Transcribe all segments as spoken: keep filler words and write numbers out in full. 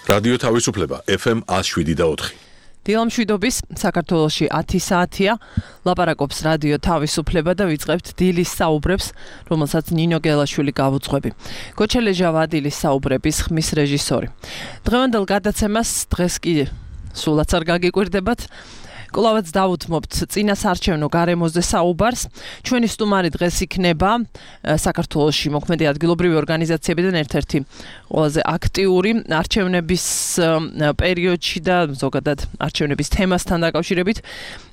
რადიო თავისუფლება ეფ ემ ათს შვიდი და ოთხი. დილამშვიდობის საქართველოში ათი საათია, ლაპარაკობს რადიო თავისუფლება და ვიწყებთ დილის საუბრებს, რომელსაც ნინო გელაშვილი გავუძღვები. გოჩელეჟავა დილის საუბრების ხმის რეჟისორი. დღევანდელ გადაცემას დღეს კი სულაც არ გაგიკვირდებათ. კვლავაც დავუთმობთ წინასარჩევნო გარემოზე საუბარს. ჩვენი სტუმარი დღეს იქნება საქართველოში მოქმედი ადგილობრივი ორგანიზაციებიდან ერთ-ერთი ყველაზე აქტიური არჩევნების პერიოდში და ზოგადად არჩევნების თემასთან დაკავშირებით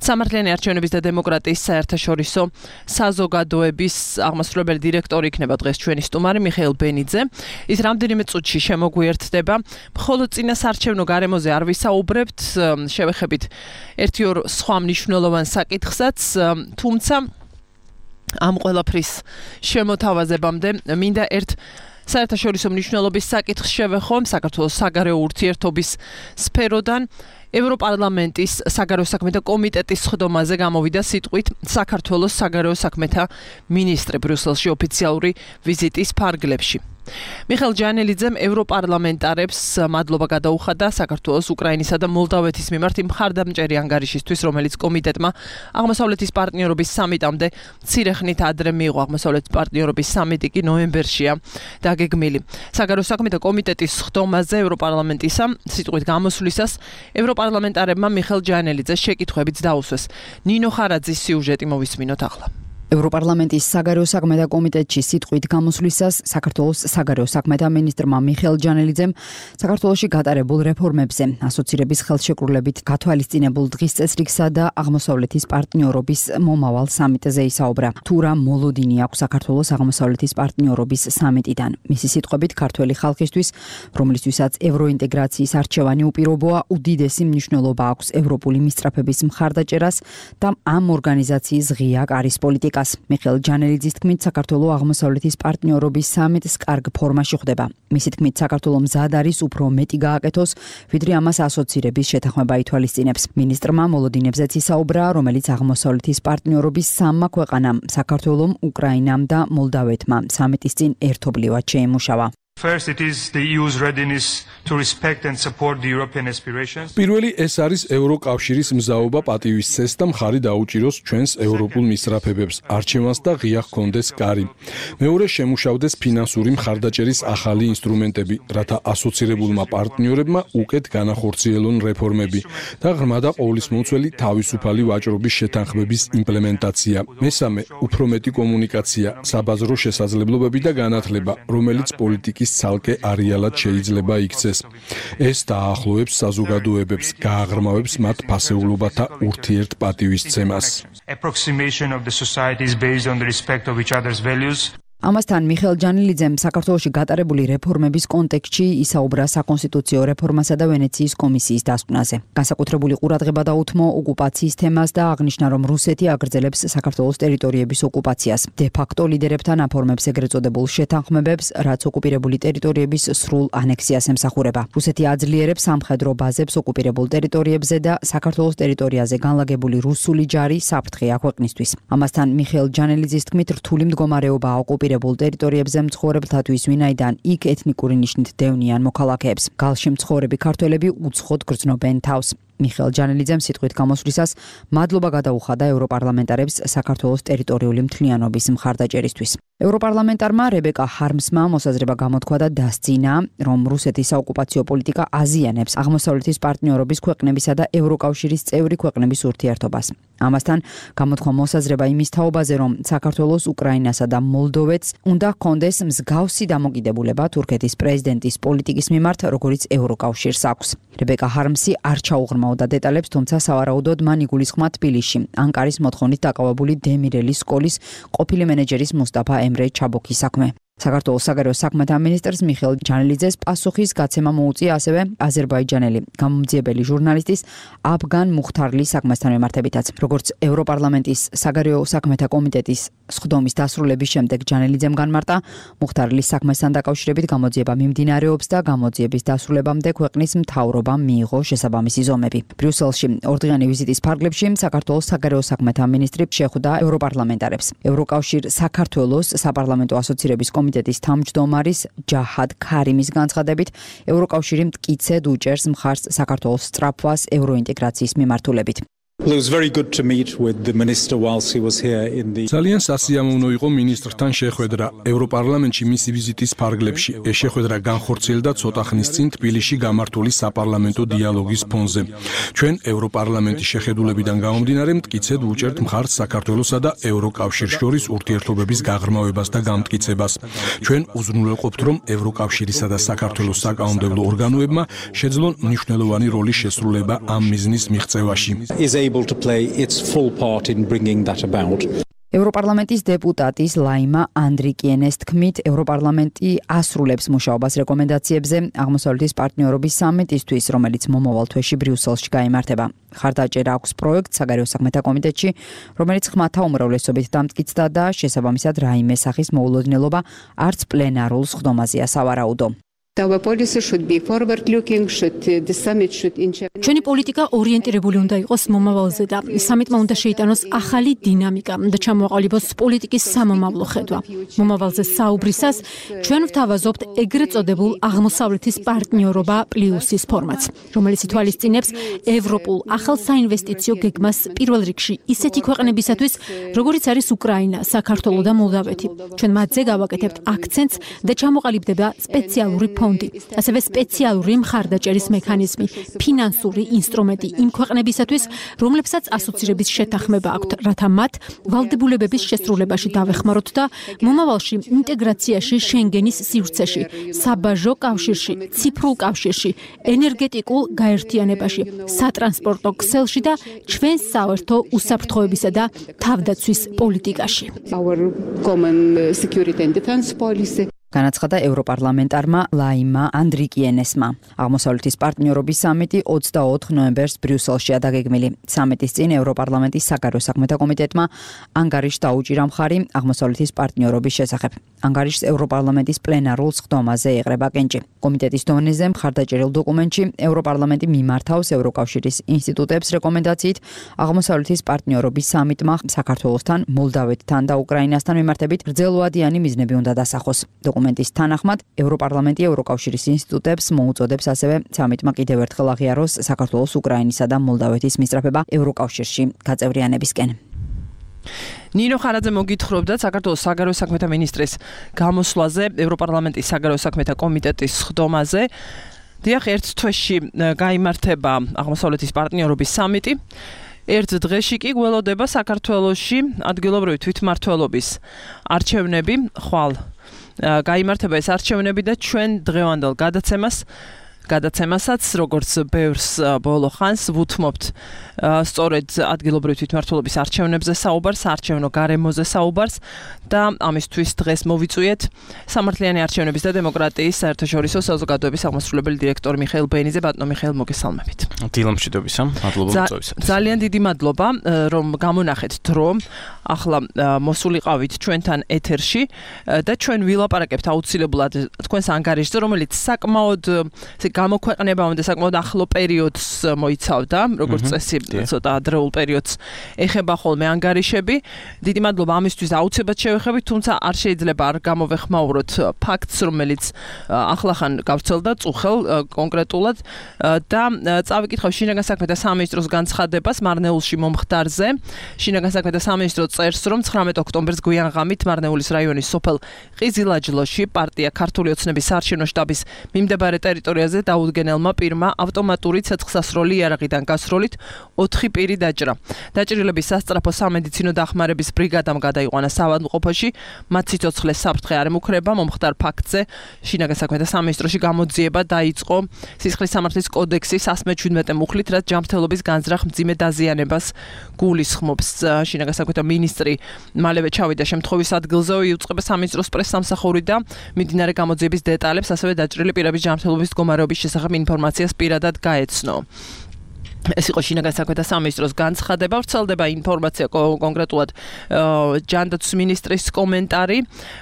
სამართლიანი არჩევნების და დემოკრატიის საერთაშორისო საზოგადოების აღმასრულებელი დირექტორი იქნება დღეს ჩვენი სტუმარი მიხეილ ბენიძე. ის რამდენიმე წუთში შემოგვიერთდება. მხოლოდ წინასარჩევნო გარემოზე არ ვისაუბრებთ, შევეხებით ერთი სხვა მნიშვნელოვან საკითხსაც, თუმცა ამ ყველაფრის შემოთავაზებამდე მინდა ერთ საერთაშორისო მნიშვნელობის საკითხს შევეხო საქართველოს საგარეო ურთიერთობის სფეროდან. ევროპარლამენტის საგარეო საქმეთა კომიტეტის სხდომაზე გამოვიდა სიტყვით საქართველოს საგარეო საქმეთა მინისტრი ბრიუსელში ოფიციალური ვიზიტის ფარგლებში. მიხეილ ჯანელიძემ ევროპარლამენტარებს მადლობა გადაუხადა საქართველოს, უკრაინისა და მოლდავეთის მიმართ იმ მხარდამჭერი ანგარიშისთვის, რომელიც კომიტეტმა აღმოსავლეთის პარტნიორობის სამიტამდე მცირე ხნით ადრე მიიღო. აღმოსავლეთის პარტნიორობის სამიტი კი ნოემბერშია დაგეგმილი. საგარეო საქმეთა კომიტეტის სხდომაზე ევროპარლამენტისა სიტყვით გამოსვლისას ევროპარლამენტარებმა მიხეილ ჯანელიძეს შეკითხვებიც დაუსვეს. ნინო ხარაძის სიუჟეტი მოვისმინოთ ახლა. ევროპარლამენტის საგარეო საქმეთა კომიტეტში სიტყვით გამოსვლისას საქართველოს საგარეო საქმეთა მინისტრმა მიხეილ ჯანელიძემ საქართველოში გატარებულ რეფორმებზე, ასოცირების ხელშეკრულებით გათვალისწინებულ დღის წესრიგსა და აღმოსავლეთის პარტნიორობის მომავალ სამიტზე ისაუბრა. თუ რა მოლოდინი აქვს საქართველოს აღმოსავლეთის პარტნიორობის სამიტიდან. მისი სიტყვებით ქართველი ხალხისთვის, რომლისთვისაც ევროინტეგრაციის არჩევანი უპირობოა, უდიდესი მნიშვნელობა აქვს ევროპული მისწრაფების მხარდაჭერას და ამ ორგანიზაციის ღია კარის პოლიტიკას. მიხეილ ჯანელიძის თქმით, საქართველოს აღმოსავლეთის პარტნიორობის სამიტს კარგ ფორმაში ხვდება. მისი თქმით, საქართველოს მზად არის უფრო მეტი გააკეთოს, ვიდრე ამას ასოცირების შეთანხმება ითვალისწინებს. მინისტრმა მოლოდინებზეც ისაუბრა, რომელიც აღმოსავლეთის პარტნიორობის სამმა ქვეყანამ, საქართველომ, უკრაინამ და მოლდავეთმა სამიტის წინ ერთობლივად შეიმუშავა. First, it is the E U's readiness to respect and support the European aspirations. პირველი ეს არის ევროკავშირის მზაობა პატივისცეს და მხარი დაუჭიროს ჩვენს ევროპულ მისწრაფებებს, არჩევანს და ღია ჰქონდეს კარი. მეორე, შემუშავდეს ფინანსური მხარდაჭერის ახალი ინსტრუმენტები, რათა ასოცირებულმა პარტნიორებმა უკეთ განახორციელონ რეფორმები და ღრმა და ყოვლისმომცველი თავისუფალი ვაჭრობის შეთანხმების იმპლემენტაცია. მესამე, უფრო მეტი კომუნიკაცია, საბაზრო შესაძლებლობები და განათლება, რომელიც პოლიტიკის ცალკე არეალად შეიძლება იქცეს. ეს დაახლოებს საზოგადოებებს, გააღრმავებს მათ ფასეულობათა ურთიერთპატივისცემას. Approximation of the societies based on the respect of each other's values. ამასთან მიხეილ ჯანელიძემ საქართველოში გატარებული რეფორმების კონტექსტში ისაუბრა საკონსტიტუციო რეფორმასა და ვენეციის კომისიის დასკვნაზე. განსაკუთრებული ყურადღება დაუთმო ოკუპაციის თემას და აღნიშნა, რომ რუსეთი აგრძელებს საქართველოს ტერიტორიების ოკუპაციას. დე-ფაქტო ლიდერებთან აფორმებს ეგრეთ წოდებულ შეთანხმებებს, რაც ოკუპირებული ტერიტორიების სრულ ანექსიას ემსახურება. რუსეთი აძლიერებს სამხედრო ბაზებს ოკუპირებულ ტერიტორიებზე და საქართველოს ტერიტორიაზე განლაგებული რუსული ჯარი საფრთხე აქვეყნისთვის. ამასთან მიხეილ ჯანელიძის თქმით, რთული მდგომარეობაა ოკუპირებულ ტერიტორიებზე მცხოვრებლთათვის, ვინაიდან იქ ეთნიკური ნიშნით დევნიან მოქალაქეებს. გალში მცხოვრები ქართველები უცხოდ გრძნობენ თავს. მიხეილ ჯანელიძემ სიტყვით გამოსვლისას მადლობა გადაუხადა ევროპარლამენტარებს საქართველოს ტერიტორიული მთლიანობის მხარდაჭერისთვის. ევროპარლამენტარმა რებეკა ჰარმსმა მოსაზრება გამოთქვა და დასძინა, რომ რუსეთის საოკუპაციო პოლიტიკა აზიანებს აღმოსავლეთის პარტნიორობის ქვეყნებისა და ევროკავშირის წევრი ქვეყნების ურთიერთობას. ამასთან გამოთქვა მოსაზრება იმის თაობაზე, რომ საქართველოს, უკრაინასა და მოლდოვეთს უნდა ჰქონდეს მსგავსი დამოკიდებულება თურქეთის პრეზიდენტის პოლიტიკის მიმართ, როგორც ევროკავშირს აქვს. რებეკა ჰარმსი არ ჩაუღრმავდა დეტალებს, თუმცა სავარაუდოდ მან იგულისხმა თბილისში ანკარის მოთხოვნით დაკავებული დემირელის სკოლის ყოფილი მენეჯერის მუსტაფა ემრე ჩაბოქის საქმე. საქართველოს საგარეო საქმეთა მინისტრს მიხეილ ჯანელიძეს პასუხის გაცემა მოუწია ასევე აზერბაიჯანელი გამომძიებელი ჟურნალისტის აფგან მუხთარლის საქმესთან მიმართებითაც. როგორც ევროპარლამენტის საგარეო საქმეთა კომიტეტის სხდომის დასრულების შემდეგ ჯანელიძემ განმარტა, მუხთარლის საქმესთან დაკავშირებით გამოძიება მიმდინარეობს და გამოძიების დასრულებამდე ქვეყნის მთავრობამ მიიღო შესაბამისი ზომები. ბრიუსელში ორდღიანი ვიზიტის ფარგლებში საქართველოს საგარეო საქმეთა მინისტრი შეხვდა ევროპარლამენტარებს. ევროკავშირ საქართველოს საპარლამენტო ასოცირების კომიტეტის თავმჯდომარის ჯაჰად ქარიმის განცხადებით, ევროკავშირი მტკიცედ უჭერს მხარს საქართველოს სწრაფვას ევროინტეგრაციის მიმართულებით. Well, it was very good to meet with the minister whilst he was here in the ძალიან სასიამოვნო იყო მინისტრთან შეხვედრა ევროპარლამენტში მისი ვიზიტის ფარგლებში. ეს შეხვედრა განხორციელდა ცოტა ხნის წინ თბილისში გამართული საპარლამენტო დიალოგის ფონზე. ჩვენ ევროპარლამენტის შეხედულებიდან გამომდინარე მტკიცედ უჭერთ მხარს საქართველოსა და ევროკავშირს შორის ურთიერთობების გაღრმავებას და გამტკიცებას. ჩვენ უზრუნველყოფთ, რომ ევროკავშირისა და საქართველოს საკანონმდებლო ორგანოებმა შეძლონ მნიშვნელოვანი როლის შესრულება ამ მიზნის მიღწევაში. able to play its full part in bringing that about. ევროპარლამენტის დეპუტატის ლაიმა ანდრიკიენეს თქმით, ევროპარლამენტი ასრულებს მუშაობას რეკომენდაციებზე აღმოსავლეთის პარტნიორობის სამიტისთვის, რომელიც მომავალ თვეში ბრიუსელში გაიმართება. ხარდაჭერა აქვს პროექტ საგარეო საქმეთა კომიტეტში, რომელიც ხმათა უმრავლესობით დამტკიცდა და შესაბამისად რაიმე სახის მოულოდნელობა არც პლენარულ სხდომაზეა სავარაუდო. Our policy should be forward looking, should the summit should inject. ჩვენი პოლიტიკა ორიენტირებული უნდა იყოს მომავალზე და სამიტმა უნდა შეიტანოს ახალი დინამიკა და ჩამოაყალიბოს პოლიტიკის სამომავლო ხედვა. მომავალზე საუბრისას ჩვენ ვთავაზობთ ეგრეთ წოდებულ აღმოსავლეთის პარტნიორობა პლუსის ფორმატს, რომელიც ითვალისწინებს ევროპულ ახალ საინვესტიციო გეგმას პირველ რიგში ისეთი ქვეყნებისათვის, როგორიც არის უკრაინა, საქართველო და მოლდავეთი. ჩვენ მათზე გავაკეთებთ აქცენტს და ჩამოყალიბდება სპეციალური ფონდი, ასევე სპეციალური მხარდაჭერის მექანიზმი, ფინანსური ინსტრუმენტი იმ ქვეყნებისათვის, რომლებსაც ასოცირების შეთანხმება აქვთ, რათა მათ ვალდებულებების შესრულებაში დავეხმაროთ და მომავალში ინტეგრაციაში შენგენის სივრცეში, საბაჟო კავშირში, ციფრულ კავშირში, ენერგეტიკულ გაერთიანებაში, სატრანსპორტო ქსელში და ჩვენ საერთო უსაფრთხოებისა და თავდაცვის პოლიტიკაში. Our common security and defense policy. განაცხადა ევროპარლამენტარმა ლაიმა ანდრიკიენესმა. აღმოსავლეთის პარტნიორობის სამიტი ოცდაოთხ ნოემბერს ბრიუსელშია დაგეგმილი. სამიტის წინ ევროპარლამენტის საგარეო საქმეთა კომიტეტმა ანგარიშს დაუჭირა მხარი აღმოსავლეთის პარტნიორობის შესახებ. ანგარიშს ევროპარლამენტის პლენარულ სხდომაზე ეყრება კენჭი. კომიტეტის დონეზე მხარდაჭერილ დოკუმენტში ევროპარლამენტი მიმართავს ევროკავშირის ინსტიტუტებს რეკომენდაციით აღმოსავლეთის პარტნიორობის სამიტმა საქართველოსთან, მოლდავეთთან და უკრაინასთან მიმართებით გრძელვადიანი მიზნები უნდა დასახოს. დოკუმენტის თანახმად, ევროპარლამენტი ევროკავშირის ინსტიტუტებს მოუწოდებს ასევე სამიტმა კიდევ ერთხელ აღიაროს საქართველოს, უკრაინისა და მოლდავეთის მისწრაფება ევროკავშირში გაწევრიანებისკენ. ნინო ხარაძე მოგითხრობდა საქართველოს საგარეო საქმეთა მინისტრის გამოსვლაზე ევროპარლამენტის საგარეო საქმეთა კომიტეტის სხდომაზე. დიახ, ერთ თვეში გაიმართება აღმოსავლეთის პარტნიორობის სამიტი. ერთ დღეში კი გველოდება საქართველოში ადგილობრივი თვითმმართველობის არჩევნები, ხვალ გაიმართება ეს არჩევნები და ჩვენ დღევანდელ გადაცემას გადაცემასაც როგორც ბევრს ბოლო ხანს ვუთმობთ სწორედ ადგილობრივი თვითმმართველობის არჩევნებზე საუბარს, არჩევნო გარემოზე საუბარს და ამისთვის დღეს მოვიწვიეთ სამართლიანი არჩევნების და დემოკრატიის საერთაშორისო საზოგადოების აღმასრულებელი დირექტორი მიხეილ ბენიძე. ბატონო მიხეილ, მოგესალმებით. დილამშვიდობისა, მადლობა მოწვევისათვის. ძალიან დიდი მადლობა რომ გამონახეთ დრო. ახლა მოსულიყავით ჩვენთან ეთერში და ჩვენ ვილაპარაკებთ აუცილებლად თქვენს ანგარიშზე, რომელიც საკმაოდ გამოქვეყნებამდე საკმაოდ ახლო პერიოდს მოიცავდა, როგორც წესი, ცოტა ადრეულ პერიოდს ეხება ხოლმე ანგარიშები. დიდი მადლობა ამისთვის აუცილებლად შევეხებით, თუმცა არ შეიძლება არ გამოვეხმაუროთ ფაქტს, რომელიც ახლახან გავრცელდა წუხელ კონკრეტულად და წავიკითხავ შინაგან საქმეთა სამინისტროს განცხადებას მარნეულში მომხდარზე. შინაგან საქმეთა სამინისტრო წერს, რომ ცხრამეტ ოქტომბერს გვიანღამით მარნეულის რაიონის სოფელ ყიზილაჯლოში პარტია ქართული ოცნების საარჩევნო შტაბის მიმდებარე ტერიტორიაზე დაუდგენელმა პირმა ავტომატური ცეცხლსასროლი იარაღიდან გასროლით ოთხი პირი დაჭრა. დაჭრილების სასწრაფო სამედიცინო დახმარების ბრიგადამ გადაიყვანა საავადმყოფოში, მათ სიცოცხლეს საფრთხე არ ემუქრება. მომხდარ ფაქტზე შინაგან საქმეთა სამინისტროში გამოძიება დაიწყო სისხლის სამართლის კოდექსის ასმე შვიდმეტე მუხლით, რაც ჯანმრთელობის განზრახ მძიმე დაზიანებას გულისხმობს. შინაგან საქმეთა მინისტრი მალევე ჩავიდა შემთხვევის ადგილზე, იუწყება სამინისტროს პრესსამსახური და მიმდინარე გამოძიების დეტალებს, ასევე დაჭრილი პირების ჯანმრთელობის მდგომარეობის შესახებ ინფორმაციას პირადად გაეცნო. ეს იყო შინაგან საქმეთა სამინისტროს განცხადება. ვრცელდება ინფორმაცია კონკრეტულად ჯანდაცვის მინისტრის კომენტარი,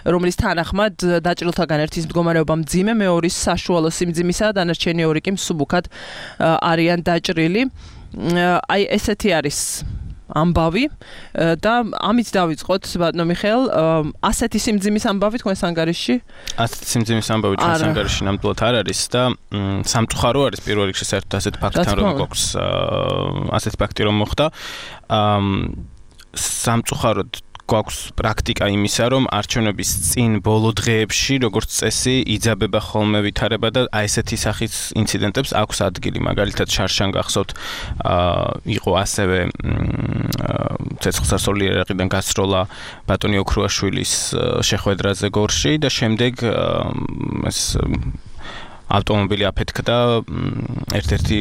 რომლის თანახმად დაჭრილთაგან ერთის მდგომარეობა მძიმე, მეორის საშუალო სიმძიმისა, დანარჩენი ორი კი მსუბუქად არიან დაჭრილი. აი ესეთი არის ამბავი და ამით დავიწყოთ ბატონო მიხეილ, ასეთი სიმძიმის ამბავი თქვენს ანგარიშში? ასეთი სიმძიმის ამბავი ჩვენს ანგარიშში ნამდვილად არ არის და სამწუხარო არის პირველ რიგში საერთოდ ასეთი ფაქტთან რომ გვაქვს ასეთი ფაქტი რომ მოხდა. სამწუხაროდ გვაქვს პრაქტიკა იმისა, რომ არჩევნების წინ ბოლო დღეებში, როგორც წესი, იძაბება ხოლმე ვითარება და აი ესეთი სახის ინციდენტებს აქვს ადგილი. მაგალითად, შარშან გახსოვთ, იყო ასევე ცეცხლსასროლი ერაყიდან გასროლა ბატონი ოქრუაშვილის შეხვედრაზე გორში და შემდეგ ეს ავტომობილი აფეთქდა ერთ-ერთი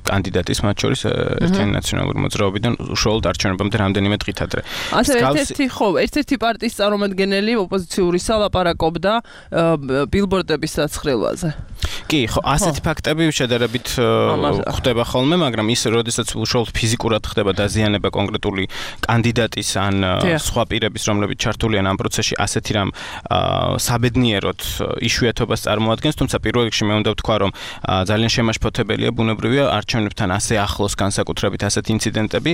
კანდიდატის მათ შორის ერთიანი ნაციონალური მოძრაობიდან უშუალოდ არჩევნებამდე რამდენიმე დღით ადრე. ასე ერთ-ერთი ხო, ერთ-ერთი პარტიის წარმომადგენელი ოპოზიციურისა ლაპარაკობდა ბილბორდების დასხრივაზე. კი, ხო, ასეთი ფაქტები შედარებით ხდება ხოლმე, მაგრამ ის როდესაც უშუალოდ ფიზიკურად ხდება დაზიანება კონკრეტული კანდიდატის ან სხვა პირების, რომლებიც ჩართულიან ამ პროცესში, ასეთი რამ საბედნიეროდ იშვიათობას წარმოადგენს, თუმცა პირველ რიგში მე უნდა ვთქვა, რომ ძალიან შემაშფოთებელია ბუნებრივია არჩევნებთან ასე ახლოს განსაკუთრებით ასეთი ინციდენტები.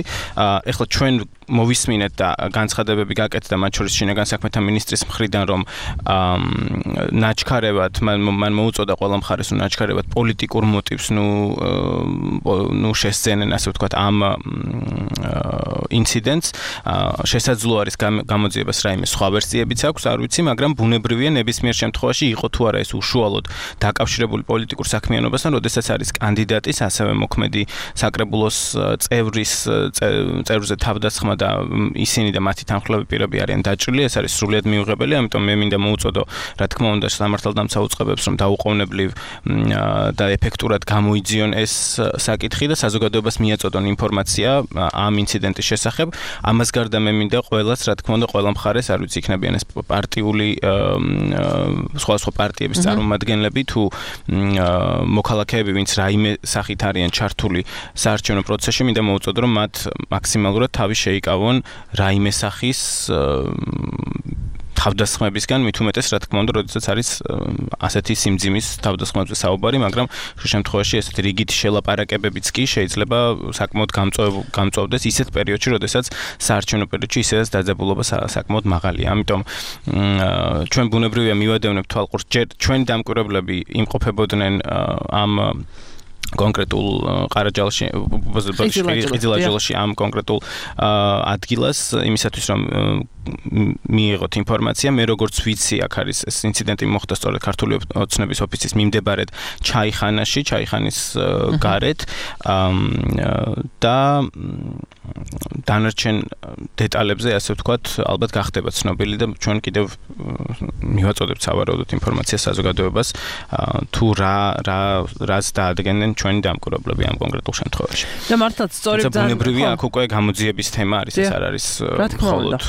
ეხლა ჩვენ მოვისმინეთ და განცხადებები გაკეთდა მათ შორის შინაგან საქმეთა მინისტრის მხრიდან, რომ ნაჩქარევად მან მოუწოდა ყველა მხარეს, რომ ნაჩქარევად პოლიტიკურ მოტივს ნუ ნუ შესწენენ, ასე ვთქვათ, ამ ინციდენტს. შესაძლოა არის გამოძიებას რაიმე სხვა ვერსიებიც აქვს, არ ვიცი, მაგრამ ბუნებრივია ნებისმიერ შემთხვევაში იყო თუ არა ეს უშუალოდ დაკავშირებული პოლიტიკურ საქმიანობასთან, როდესაც არის კანდიდატის ასევე მოქმედი საკრებულოს წევრის წევრზე თავდასხმა და ისინი და მათი თანხმლები პირები არიან დაჭრილი, ეს არის სრულიად მიუღებელი, ამიტომ მე მინდა მოუწოდო, რა თქმა უნდა, სამართალდამცავ უწყებებს, რომ დაუყოვნებლივ და ეფექტურად გამოიძიონ ეს საკითხი და საზოგადოებას მიაწოდონ ინფორმაცია ამ ინციდენტის შესახებ. ამას გარდა მე მინდა ყველას, რა თქმა უნდა, ყველა მხარეს, არ ვიცი, იქნებიან ეს პარტიული სხვა სხვა პარტიების წარმომადგენლები თუ მოქალაქეები, ვინც რაიმე სახით არიან ჩართული საარჩევნო პროცესში, მინდა მოუწოდო, რომ მათ მაქსიმალურად თავი შეიკავონ რაიმე სახის თავდასხმებისგან, მით უმეტეს, რა თქმა უნდა, როდესაც არის ასეთი სიმძიმის თავდასხმებზე საუბარი, მაგრამ ხშირ შემთხვევაში ესეთი რიგითი შელაპარაკებებიც კი შეიძლება საკმაოდ გამწვავდეს ისეთ პერიოდში, როდესაც საარჩევნო პერიოდში ისედაც დაძაბულობა საკმაოდ მაღალია. ამიტომ ჩვენ ბუნებრივია მივადევნებთ თვალყურს, ჯერ ჩვენი დამკვირვებლები იმყოფებოდნენ ამ კონკრეტულ ყარაჯალში, ყიზილაჯილში ამ კონკრეტულ ადგილას, იმისათვის რომ მიიღოთ ინფორმაცია, მე როგორც ვიცი, აქ არის ეს ინციდენტი მოხდა სწორედ ქართული ოცნების ოფისის მიმდებარედ ჩაიხანაში, ჩაიხანის გარეთ და დანარჩენ დეტალებზე, ასე ვთქვათ, ალბათ გახდება ცნობილი და ჩვენ კიდევ მივაწოდებთ სავარაუდოდ ინფორმაციას საზოგადოებას, თუ რა რა რას დაადგენენ ჩვენი დამკვირვებლები ამ კონკრეტულ შემთხვევაში. და მართლაც სწორედ ბუნებრივია, აქ უკვე გამოძიების თემა არის, ეს არ არის მხოლოდ.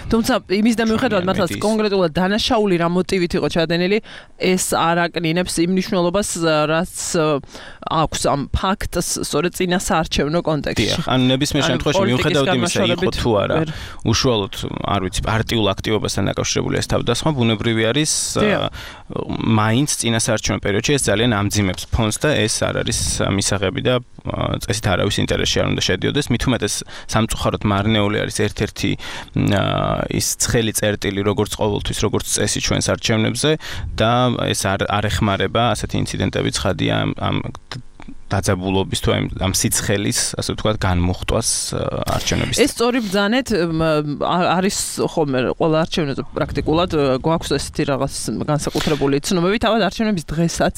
თუმცა იმის და მიუხედავად მართლაც კონკრეტულად დანაშაული რა მოტივით იყო ჩადენილი, ეს არ აკნინებს იმ მნიშვნელობას, რაც აქვს ამ ფაქტს სწორედ წინა საარჩევნო კონტექსტში. ან ნებისმიერ შემთხვევაში მიუხედავად იმისა, იყო თუ არა უშუალოდ, არ ვიცი, პარტიულ აქტივობასთან დაკავშირებული ეს თავდასხმა, ბუნებრივი არის მაინც წინა საარჩევნო პერიოდში ეს ძალიან ამძიმებს ფონს და ეს არ არის მისაღები და წესით არავის ინტერესში არ უნდა შედიოდეს. მით უმეტეს სამწუხაროდ მარნეული არის ერთ-ერთი ის ცხელი წერტილი, როგორც ყოველთვის, როგორც წესი ჩვენს არჩევნებზე და ეს არ არ ეხმარება ასეთი ინციდენტები ცხადია ამ დაძაბულობის თუ ამ სიცხელის, ასე ვთქვათ, განმუხტვას არჩევნების. ეს სწორი ბრძანეთ არის ხოლმე ყველა არჩევნებზე პრაქტიკულად გვაქვს ესეთი რაღაც განსაკუთრებული ცნობები, თავად არჩევნების დღესაც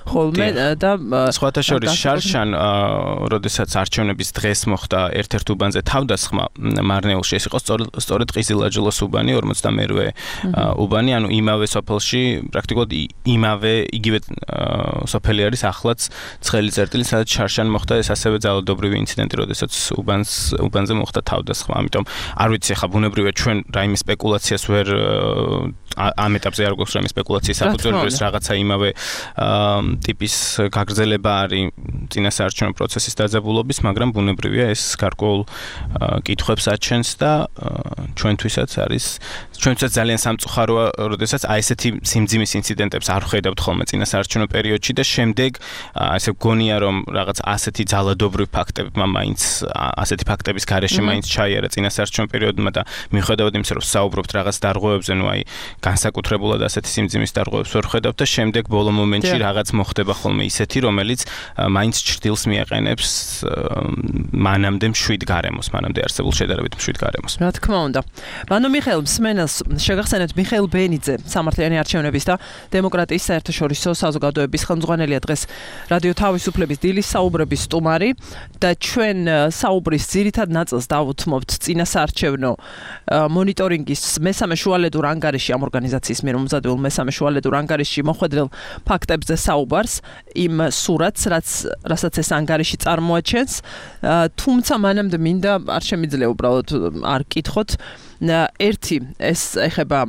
ხოლმე და სხვათა შორის შარშან, როდესაც არჩევნების დღეს მოხდა ერთ-ერთ უბანზე თავდასხმა მარნეულში, ეს იყო სწორედ ყიზილაჯილოს უბანი, ორმოცდამერვე უბანი, ანუ იმავე სოფელში, პრაქტიკულად იმავე იგივე სოფელი არის ახლაც ცხელი წერტილი, სადაც შარშან მოხდა ეს ასევე ძალადობრივი ინციდენტი, როდესაც უბანს უბანზე მოხდა თავდასხმა. ამიტომ არ ვიცი, ხა ბუნებრივია ჩვენ რაიმე სპეკულაციას ვერ ამ ეტაპზე არ გვაქვს რაიმე სპეკულაციის საფუძველი, ეს რაღაცა იმავე ტიპის გაგრძელება არის წინა საარჩევნო პროცესის დაძაბულობის, მაგრამ ბუნებრივია ეს გარკვეულ კითხვებს აჩენს და ჩვენთვისაც არის ჩვენთვისაც ძალიან სამწუხაროა, როდესაც აი ესეთი სიმძიმის ინციდენტებს არ ხედავთ ხოლმე წინა საარჩევნო პერიოდში და შემდეგ ასე გონია მგონია რომ რაღაც ასეთი ძალადობრივი ფაქტები მაინც ასეთი ფაქტების გარეშე მაინც ჩაიარა წინასაარჩევნო პერიოდმა და მიუხედავად იმისა რომ საუბრობთ რაღაც დარღვევებზე, ნუ აი განსაკუთრებულად ასეთი სიმძიმის დარღვევებს ვერ ხედავთ და შემდეგ ბოლო მომენტში რაღაც მოხდება ხოლმე ისეთი, რომელიც მაინც ჭრდილს მიაყენებს მანამდე მშვიდ გარემოს, მანამდე არსებულ შედარებით მშვიდ გარემოს. რა თქმა უნდა. ბანო მიხეილ მსმენელს შეგახსენებთ მიხეილ ბენიძე, სამართლიანი არჩევნების და დემოკრატიის საერთაშორისო საზოგადოების ხელმძღვანელია დღეს რადიო თავისუფლების დილის საუბრების სტუმარი და ჩვენ საუბრის ძირითად ნაწილს დავუთმობთ წინასაარჩევნო მონიტორინგის მესამე შუალედურ ანგარიში ამ ორგანიზაციის მიერ მომზადებულ მესამე შუალედურ ანგარიში მოხვედრილ ფაქტებზე საუბარს, იმ სურათს, რაც რასაც ეს ანგარიში წარმოაჩენს, თუმცა მანამდე მინდა არ შემიძლია უბრალოდ არ კითხოთ ერთი ეს ეხება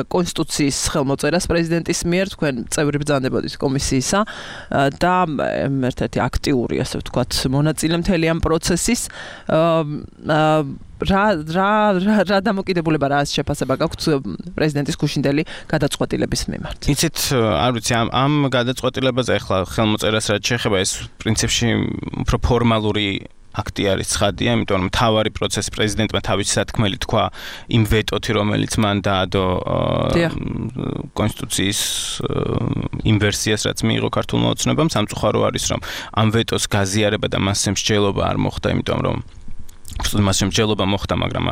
კონსტიტუციის ხელმოწერას პრეზიდენტის მიერ, თქვენ წევრი ბრძანდებოდით კომისიისა და ერთ-ერთი აქტიური, ასე ვთქვათ, მონაწილე მთელი ამ პროცესის რა რა რა დამოკიდებულება რა შეფასება გაქვთ პრეზიდენტის გუშინდელი გადაწყვეტილების მიმართ? იცით, არ ვიცი, ამ ამ გადაწყვეტილებაზე ახლა ხელმოწერას რაც შეეხება, ეს პრინციპში უფრო ფორმალური აქტი არის ცხადია, იმიტომ რომ თავარი პროცესი პრეზიდენტმა თავისი სათქმელი თქვა იმ ვეტოთი, რომელიც მან დაადო კონსტიტუციის იმ ვერსიას, რაც მიიღო ქართულმა ოცნებამ, სამწუხარო არის, რომ ამ ვეტოს გაზიარება და მასზე მსჯელობა არ მოხდა, იმიტომ რომ უბრალოდ მას შემჯელობა მოხდა, მაგრამ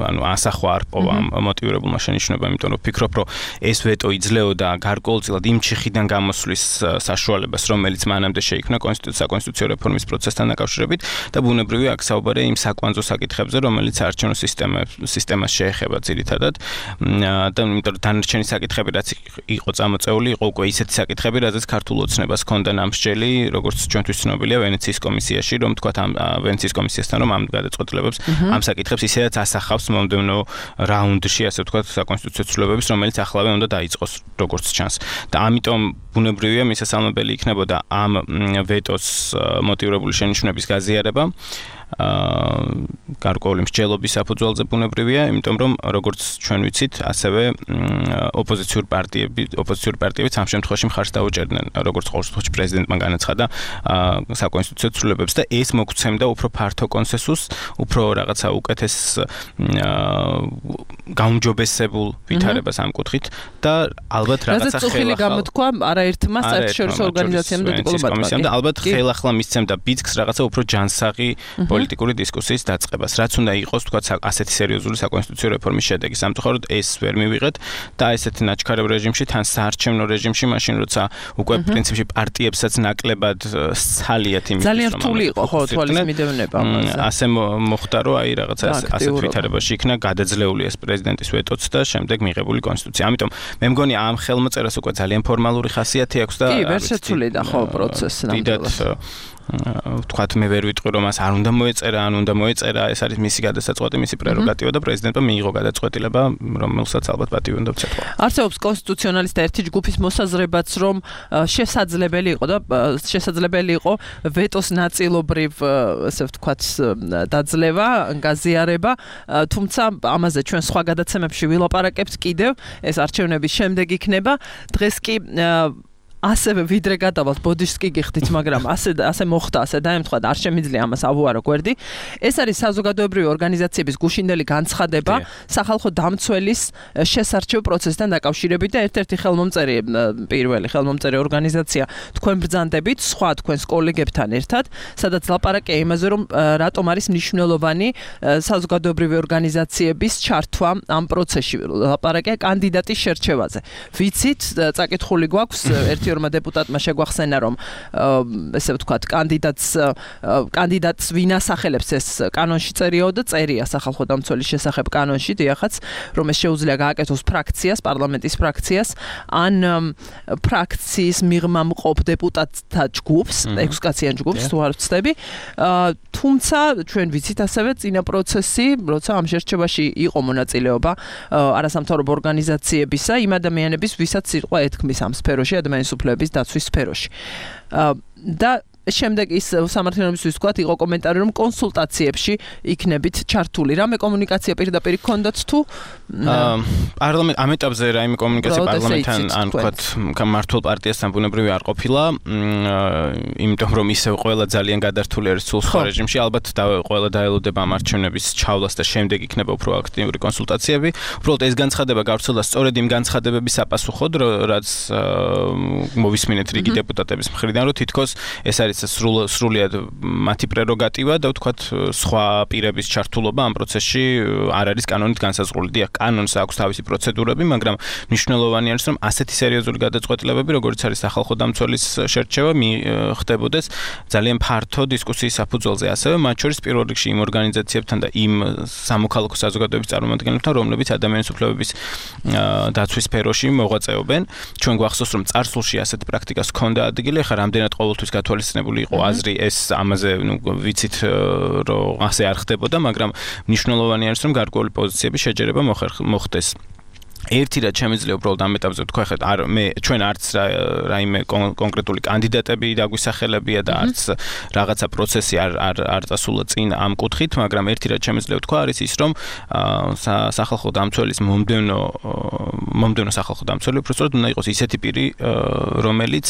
ანუ ასახვა არ პოვა მოტივირებულმა შენიშვნებამ, იმიტომ რომ ვფიქრობ, რომ ეს ვეტო იძლეოდა გარკვეულწილად იმ ჩიხიდან გამოსვლის საშუალებას, რომელიც მანამდე შეიქმნა საკონსტიტუციო რეფორმის პროცესთან დაკავშირებით და ბუნებრივია აქ საუბარია იმ საკვანძო საკითხებზე, რომელიც საარჩევნო სისტემას შეეხება ძირითადად და იმიტომ რომ დანარჩენი საკითხები, რაც იყო წამოწეული, იყო უკვე ისეთი საკითხები, რაზეც ქართულ ოცნებას ჰქონდა ნამსჯელი, როგორც ჩვენთვის ცნობილია ვენეციის კომისიაში, რომ თქვათ ამ ვენეციის კომისიასთან რომ ამ გადაწყვეტილებებს ამ საკითხებს ისედაც ასახავს მომდევნო რაუნდში, ასე ვთქვათ, საკონსტიტუციო ცვლილებების, რომელიც ახლავე უნდა დაიწყოს, როგორც ჩანს. და ამიტომ ბუნებრივია მისასალმებელი იქნებოდა ამ ვეტოს მოტივირებული შენიშვნების გაზიარება. გარკვეული მსჯელობის საფუძველზე ბუნებრივია, იმიტომ რომ როგორც ჩვენ ვიცით, ასევე ოპოზიციური პარტიები, ოპოზიციური პარტიებიც ამ შემთხვევაში მხარს დაუჭერდნენ, როგორც ყოველ შემთხვევაში პრეზიდენტმა განაცხადა საკონსტიტუციო ცვლილებებს და ეს მოგცემდა უფრო ფართო კონსენსუსს, უფრო რაღაცა უკეთეს გაუმჯობესებულ ვითარებას ამ კუთხით და ალბათ რაღაცა ხელახლა გამოთქვა არაერთმა საერთაშორისო ორგანიზაციამ და დიპლომატიამ და ალბათ ხელახლა მისცემდა ბიძგს რაღაცა უფრო ჯანსაღი პოლიტიკური დისკუსიის დაწყებას, რაც უნდა იყოს, თქვათ, ასეთი სერიოზული საკონსტიტუციო რეფორმის შედეგი. სამწუხაროდ ეს ვერ მივიღეთ და ესეთი ნაჩქარებ რეჟიმში, თან საარჩევნო რეჟიმში, მაშინ როცა უკვე პრინციპში პარტიებსაც ნაკლებად სცალიათ იმის, ძალიან რთული იყო ხო თვალის მიდევნება ამაზე. ასე მოხდა, რომ აი რაღაცა ასეთ ვითარებაში იქნა გადაძლეული ეს პრეზიდენტის ვეტოც და შემდეგ მიღებული კონსტიტუცია. ამიტომ მე მგონი ამ ხელმოწერას უკვე ძალიან ფორმალური ხასიათი აქვს და კი, ვერ შეცვლიდა ხო პროცესი ნამდვილად. ვთქვათ, მე ვერ ვიტყვი რომ მას არ უნდა მოეწერა, ან უნდა მოეწერა, ეს არის მისი გადასაწყვეტი, მისი პრეროგატივა და პრეზიდენტმა მიიღო გადაწყვეტილება, რომელსაც ალბათ პატივი უნდა ვცეთო. არსებობს კონსტიტუციონალისტთა ერთი ჯგუფის მოსაზრებაც, რომ შესაძლებელი იყო და შესაძლებელი იყო ვეტოს ნაწილობრივ, ასე ვთქვათ, დაძლევა, გაზიარება, თუმცა ამაზე ჩვენ სხვა გადაცემებში ვილაპარაკებთ კიდევ, ეს არჩევნების შემდეგ იქნება. დღეს კი ასევე ვიდრე გადავალთ ბოდიშს კი გიხდით, მაგრამ ასე ასე მოხდა, ასე დაემთხვა და არ შემიძლია ამას ავუარო გვერდი. ეს არის საზოგადოებრივი ორგანიზაციების გუშინდელი განცხადება სახალხო დამცველის შესარჩევ პროცესთან დაკავშირებით და ერთ-ერთი ხელმომწერი, პირველი ხელმომწერი ორგანიზაცია თქვენ ბრძანდებით, სხვა თქვენს კოლეგებთან ერთად, სადაც ლაპარაკია იმაზე, რომ რატომ არის მნიშვნელოვანი საზოგადოებრივი ორგანიზაციების ჩართვა ამ პროცესში. ლაპარაკია კანდიდატის შერჩევაზე. ვიცით, წაკითხული გვაქვს ერთ ორმა დეპუტატმა შეგვახსენა, რომ ესე ვთქვათ, კანდიდატს კანდიდატს ვინ ასახელებს ეს კანონში წერიაო და წერია სახალხო დამცველის შესახებ კანონში, დიახაც, რომ ეს შეუძლია გააკეთოს ფრაქციას, პარლამენტის ფრაქციას, ან ფრაქციის მიღმა მყოფ დეპუტატთა ჯგუფს, ექვსკაციან ჯგუფს, თუ არ ვცდები. თუმცა ჩვენ ვიცით ასევე წინა პროცესი, როცა ამ შერჩევაში იყო მონაწილეობა არასამთავრობო ორგანიზაციებისა, იმ ადამიანების, ვისაც სიტყვა ეთქმის ამ სფეროში, ადამიანის უფლებების დაცვის სფეროში. და შემდეგ ის სამართლიანობისთვის თქვათ იყო კომენტარი რომ კონსულტაციებში იქნებით ჩართული. რამე კომუნიკაცია პირდაპირ გქონდათ თუ პარლამენტ ამ ეტაპზე რაიმე კომუნიკაცია პარლამენტთან ან თქვათ მართულ პარტიასთან ბუნებრივი არ ყოფილა, იმიტომ რომ ისევ ყველა ძალიან გადართული არის სულსხმა რეჟიმში, ალბათ ყველა დაელოდება ამ არჩევნების ჩავლას და შემდეგ იქნება უფრო აქტიური კონსულტაციები. უბრალოდ ეს განცხადება გავრცელდა სწორედ იმ განცხადებების საპასუხოდ, რაც მოვისმინეთ რიგი დეპუტატების მხრიდან, რომ თითქოს ეს არის სრულიად მათი პრეროგატივა და ვთქვათ სხვა პირების ჩართულობა ამ პროცესში არ არის კანონით განსაზღვრული. დიახ, კანონს აქვს თავისი პროცედურები, მაგრამ მნიშვნელოვანი არის, რომ ასეთი სერიოზული გადაწყვეტილებები, როგორც არის სახალხო დამცველის შერჩევა, ხდებოდეს ძალიან ფართო დისკუსიის საფუძველზე, ასევე მათ შორის პირველ რიგში იმ ორგანიზაციებთან და იმ სამოქალაქო საზოგადოების წარმომადგენლებთან, რომლებიც ადამიანის უფლებების დაცვის სფეროში მოღვაწეობენ. ჩვენ გვახსოვს, რომ წარსულში ასეთ პრაქტიკას ჰქონდა ადგილი, ახლა რამდენად ყოველთვის გათვალისწინებული იყო აზრი, ეს ამაზე, ნუ ვიცით, რომ ასე არ ხდებოდა, მაგრამ მნიშვნელოვანი არის, რომ გარკვეული პოზიციების შეჯერება მოხდეს. ერთი რაც შემიძლია უბრალოდ ამ ეტაპზე ვთქვა, ხეთ არ მე ჩვენ არც რაიმე კონკრეტული კანდიდატები დაგვისახელებია და არც რაღაცა პროცესი არ არ არ წასულა წინ ამ კუთხით, მაგრამ ერთი რაც შემიძლია ვთქვა არის ის, რომ სახალხო დამცველის მომდევნო მომდევნო სახალხო დამცველი უბრალოდ უნდა იყოს ისეთი პირი, რომელიც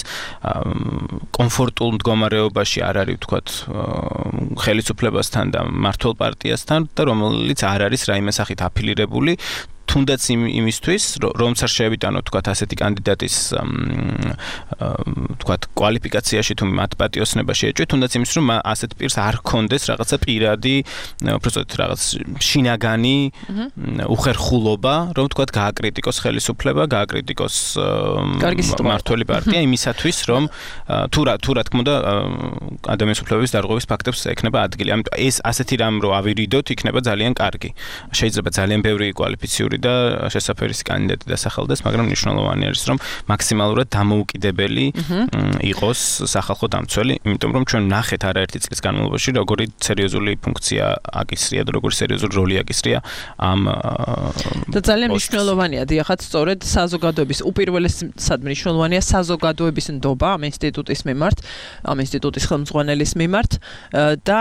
კომფორტულ მდგომარეობაში არ არის ვთქვათ ხელისუფლებასთან და მართლ პარტიასთან და რომელიც არ არის რაიმე სახით აფილირებული თუნდაც იმისთვის, რომც არ შეევიტანოთ თქვათ ასეთი კანდიდატის თქვათ კვალიფიკაციაში თუ მათ პატიოსნებაში ეჭვით, თუნდაც იმის რომ ასეთ პირს არ ჰქონდეს რაღაცა პირადი, უბრალოდ რაღაც შინაგანი უხერხულობა, რომ თქვათ გააკრიტიკოს ხელისუფლება, გააკრიტიკოს მართველი პარტია იმისათვის, რომ თუ რა თუ რა თქმა უნდა ადამიანის უფლებების დარღვევის ფაქტებს ექნება ადგილი. ამიტომ ეს ასეთი რამ რო ავირიდოთ, იქნება ძალიან კარგი. შეიძლება ძალიან ბევრი კვალიფიციური და შესაძლებელი კანდიდატი დასახელდეს, მაგრამ მნიშვნელოვანი არის, რომ მაქსიმალურად დამოუკიდებელი იყოს სახალხო დამცველი, იმიტომ რომ ჩვენ ნახეთ არაერთი წლის განმავლობაში, როგორი სერიოზული ფუნქცია აკისრია და როგორი სერიოზული როლი აკისრია ამ და ძალიან მნიშვნელოვანია, დიახაც, სწორედ საზოგადოების უპირველესად მნიშვნელოვანია საზოგადოების ნდობა ამ ინსტიტუტის მიმართ, ამ ინსტიტუტის ხელმძღვანელის მიმართ და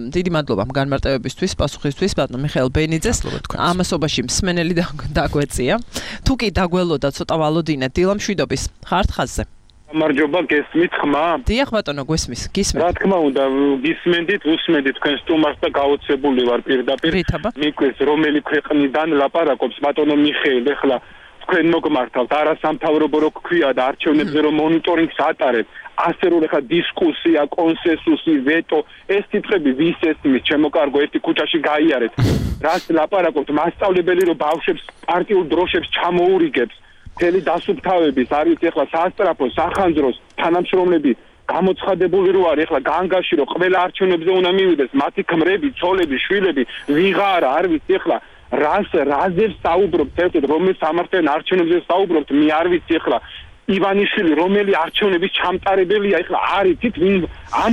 დიდი მადლობა განმარტებებისთვის, პასუხისთვის, ბატონ მიხეილ ბენიძეს. ამასობაში მსმენელი დაგვეწია. თუ კი დაგველოდა ცოტა ვალოდინეთ, დილა მშვიდობის. ხართ ხაზზე? გამარჯობა, გესმით ხმა? დიახ ბატონო, გვესმის, გისმენთ. რა თქმა უნდა, გისმენდით, უსმენდით თქვენ სტუმარს და გაოცებული ვარ პირდაპირ. მიკვეს რომელი ქვეყნიდან ლაპარაკობს ბატონო მიხეილ, ეხლა თქვენ მოგმართავთ, არასამთავრობო რო გქვია და არჩევნებზე რომ მონიტორინგს ატარებთ. ასე რომ ეხლა დისკუსია, კონსენსუსი, ვეტო, ეს ტიპები ვის ესმის, ჩემო კარგო, ერთი ქუჩაში გაიარეთ. რას ლაპარაკობთ, მასწავლებელი რომ ბავშვებს პარტიულ დროშებს ჩამოურიგებს, მთელი დასუფთავების არის ეხლა სასტრაფო, სახანძროს თანამშრომლები გამოცხადებული რო არის ეხლა განგაში რომ ყველა არჩევნებზე უნდა მივიდეს, მათი ქმრები, ცოლები, შვილები, ვიღარა არ ვიცი ეხლა რას რაზე საუბრობთ, ერთად რომელ სამართლიან არჩევნებზე საუბრობთ, მე არ ვიცი ეხლა ივანიშვილი რომელი არჩევნების ჩამტარებელია ეხლა არიცით ვინ ამ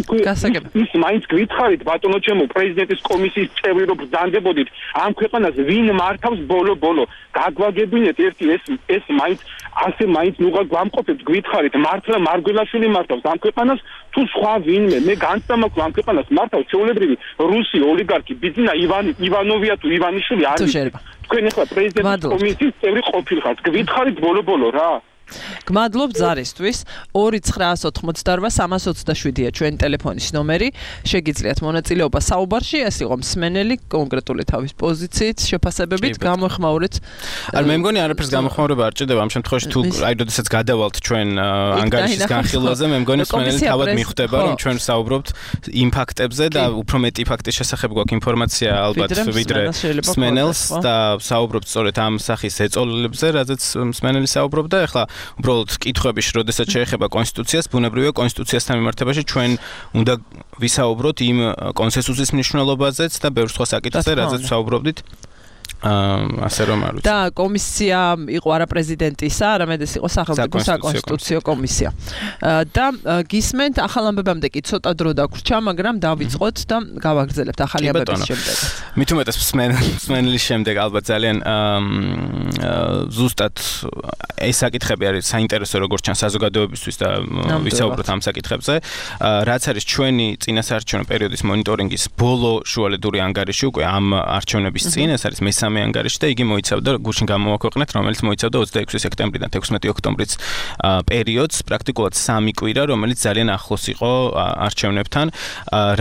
ის მაინც გითხარით ბატონო ჩემო პრეზიდენტის კომისიის წევრი რომ ბრძანდებოდით ამ ქვეყანას ვინ მართავს ბოლო-ბოლო გაგვაგებინეთ ერთი ეს ეს მაინც ასე მაინც ნუღა გვამყოფებთ გითხარით მართლა მარგველაშვილი მართავს ამ ქვეყანას თუ სხვა ვინმე მე განცდა მაქვს ამ ქვეყანას მართავს ჩვეულებრივი რუსი ოლიგარქი ბიძინა ივანი ივანოვია თუ ივანიშვილი არის თქვენ ეხლა პრეზიდენტის კომისიის წევრი ყოფილხართ გითხარით ბოლო-ბოლო რა გმადლობ ზარისთვის ორი ცხრაას ოთხმოცდაორვა სამას ოცდაშვიდია ჩვენი ტელეფონის ნომერი შეგიძლიათ მონაწილეობა საუბარში ეს იყო მსმენელი კონკრეტული თავის პოზიციით შეფასებებით გამოხმაურეთ არ მე მგონი არაფერს გამოხმაურება არ ჭირდება ამ შემთხვევაში თუ აი როდესაც გადავალთ ჩვენ ანგარიშის განხილვაზე მე მგონი მსმენელი თავად მიხვდება რომ ჩვენ საუბრობთ იმ ფაქტებზე და უფრო მეტი ფაქტის შესახებ გვაქვს ინფორმაცია ალბათ ვიდრე მსმენელს და საუბრობთ სწორედ ამ სახის ეწოლილებზე რადგან მსმენელი საუბრობდა ეხლა უბრალოდ კითხვების როდესაც შეეხება კონსტიტუციას, ბუნებრივია კონსტიტუციასთან მიმართებაში ჩვენ უნდა ვისაუბროთ იმ კონსენსუსის მნიშვნელობაზეც და ბევრ სხვა საკითხზე, რაზეც ვსაუბრობდით. ასე რომ არ ვიცი. და კომისია იყო არა პრეზიდენტისა, არამედ ეს იყო სახელმწიფო საკონსტიტუციო კომისია. და გისმენთ ახალ ამბებამდე კი ცოტა დრო დაგვრჩა, მაგრამ დავიწყოთ და გავაგრძელებთ ახალი ამბების შემდეგ. მით უმეტეს მსმენელის შემდეგ ალბათ ძალიან ზუსტად ეს საკითხები არის საინტერესო როგორც ჩანს საზოგადოებისთვის და ვისაუბროთ ამ საკითხებზე. რაც არის ჩვენი წინასაარჩევნო პერიოდის მონიტორინგის ბოლო შუალედური ანგარიში უკვე ამ არჩევნების წინ, ეს არის მესამე ანგარიში და იგი მოიცავდა გუშინ გამოვაქვეყნეთ, რომელიც მოიცავდა ოცდაექვსი სექტემბრიდან თექვსმეტი ოქტომბრის პერიოდს, პრაქტიკულად სამი კვირა, რომელიც ძალიან ახლოს იყო არჩევნებთან.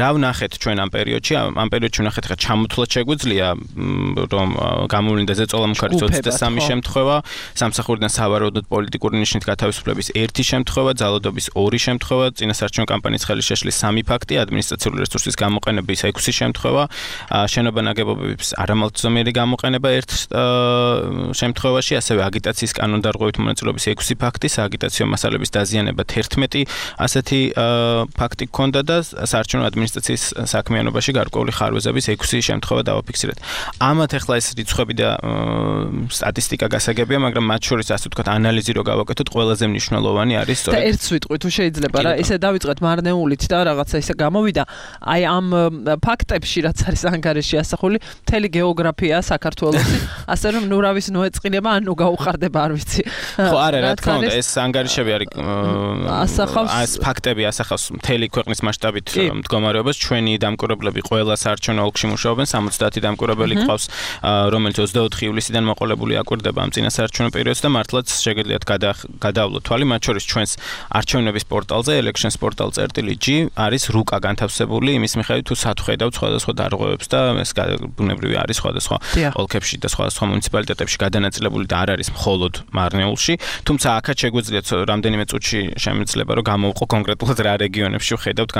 რა ვნახეთ ჩვენ ამ პერიოდში? ამ პერიოდში ვნახეთ ხა ჩამოთვლად შეგვიძლია რომ გამოვლინდა ზეწოლა მუხარის ოცდასამი შემთხვევა, სამსახურიდან სავარაუდოდ პოლიტიკური ნიშნით გათავისუფლების ერთი შემთხვევა, ძალადობის ორი შემთხვევა, წინასაარჩევნო კამპანიის ხელშეშლის სამი ფაქტი, ადმინისტრაციული რესურსის გამოყენების ექვსი შემთხვევა, შენობა ნაგებობების არამალწონიერი გამოყენება ერთ შემთხვევაში, ასევე აგიტაციის კანონდარღვევით მონაწილეობის ექვსი ფაქტი, სააგიტაციო მასალების დაზიანება თერთმეტი ასეთი ფაქტი ჰქონდა და საარჩევნო ადმინისტრაციის საქმიანობაში გარკვეული ხარვეზების ექვსი შემთხვევა დავაფიქსირეთ. ამათ ახლა ეს რიცხვები და სტატისტიკა გასაგებია, მაგრამ მათ შორის ასე ვთქვათ ანალიზი რო გავაკეთოთ, ყველაზე მნიშვნელოვანი არის სწორედ. და ერთ სიტყვით თუ შეიძლება რა, ესე დავიწყეთ მარნეულით და რაღაცა ისე გამოვიდა, აი ამ ფაქტებში რაც არის ანგარიში ასახული, მთელი გეოგრაფია საქართველოს, ასე რომ ნურავის ნოეწყინება ან ნუ გაუხარდება, არ ვიცი. ხო, არა, რა თქმა უნდა, ეს ანგარიშები არის ასახავს ეს ფაქტები ასახავს მთელი ქვეყნის მასშტაბით მდგომარეობას. ჩვენი დამკვირვებლები ყველა საარჩევნო ოლქში მუშაობენ, სამოცდაათი დამკვირვებელი გყავს, რომელიც ოცდაოთხი ივლისიდან მოყოლებული აკვირდება ამ წინასაარჩევნო პერიოდს და მართლაც შეგიძლიათ გადავლოთ თვალი, მათ შორის ჩვენს არჩევნების პორტალზე elections portal წერტილი ჯი არის რუკა განთავსებული იმის მიხედვით თუ სათხედავთ სხვადასხვა დარღვევებს და ეს ბუნებრივი არის სხვადასხვა ოლქებში და სხვადასხვა მუნიციპალიტეტებში გადანაწილებული და არ არის მხოლოდ მარნეულში, თუმცა აქაც შეგვიძლიათ რამდენიმე წუთში შემიძლება რომ გამოვყო კონკრეტულად რა რეგიონებში ვხედავთ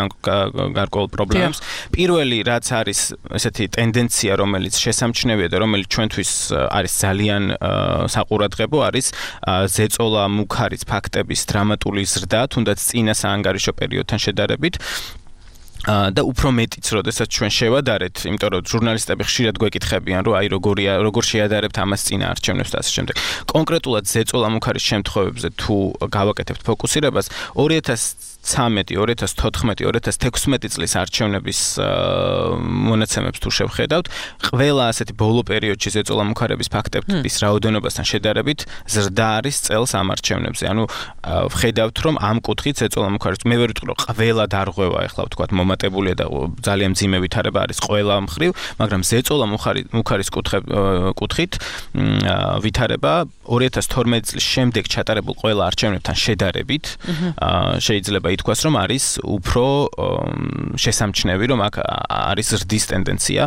გარკვეულ პრობლემებს. პირველი რაც არის ესეთი ტენდენცია, რომელიც შესამჩნევია და რომელიც ჩვენთვის არის ძალიან საყურადღებო, არის ზეწოლა მუხარის ფაქტების დრამატული ზრდა, თუნდაც წინა საანგარიშო პერიოდთან შედარებით. და უფრო მეტიც, როდესაც ჩვენ შევადარეთ, იმიტომ რომ ჟურნალისტები ხშირად გვეკითხებიან, რომ აი როგორია, როგორ შეადარებთ ამას წინა არჩევნებს და ასე შემდეგ. კონკრეტულად ზეწოლა მუხარის შემთხვევებზე თუ გავაკეთებთ ფოკუსირებას, ორი ათას ცხრამეტი, ორი ათას თოთხმეტი, ორი ათას თექვსმეტი წლის არჩევნების მონაცემებს თუ შევხედავთ, ყველა ასეთი ბოლო პერიოდში ზეწოლა მუხარების ფაქტების რაოდენობასთან შედარებით ზრდა არის წელს ამ არჩევნებზე. ანუ ვხედავთ, რომ ამ კუთხით ზეწოლა მუხარის მე ვერ ვიტყვი, რომ ყველა დარღვევა ახლა ვთქვათ მომატებულია და ძალიან მძიმე ვითარება არის ყველა მხრივ, მაგრამ ზეწოლა მუხარის კუთხით ვითარება ორი ათას თორმეტი წლის შემდეგ ჩატარებულ ყველა არჩევნებთან შედარებით შეიძლება ითქვას, რომ არის უფრო შესამჩნევი, რომ აქ არის ზრდის ტენდენცია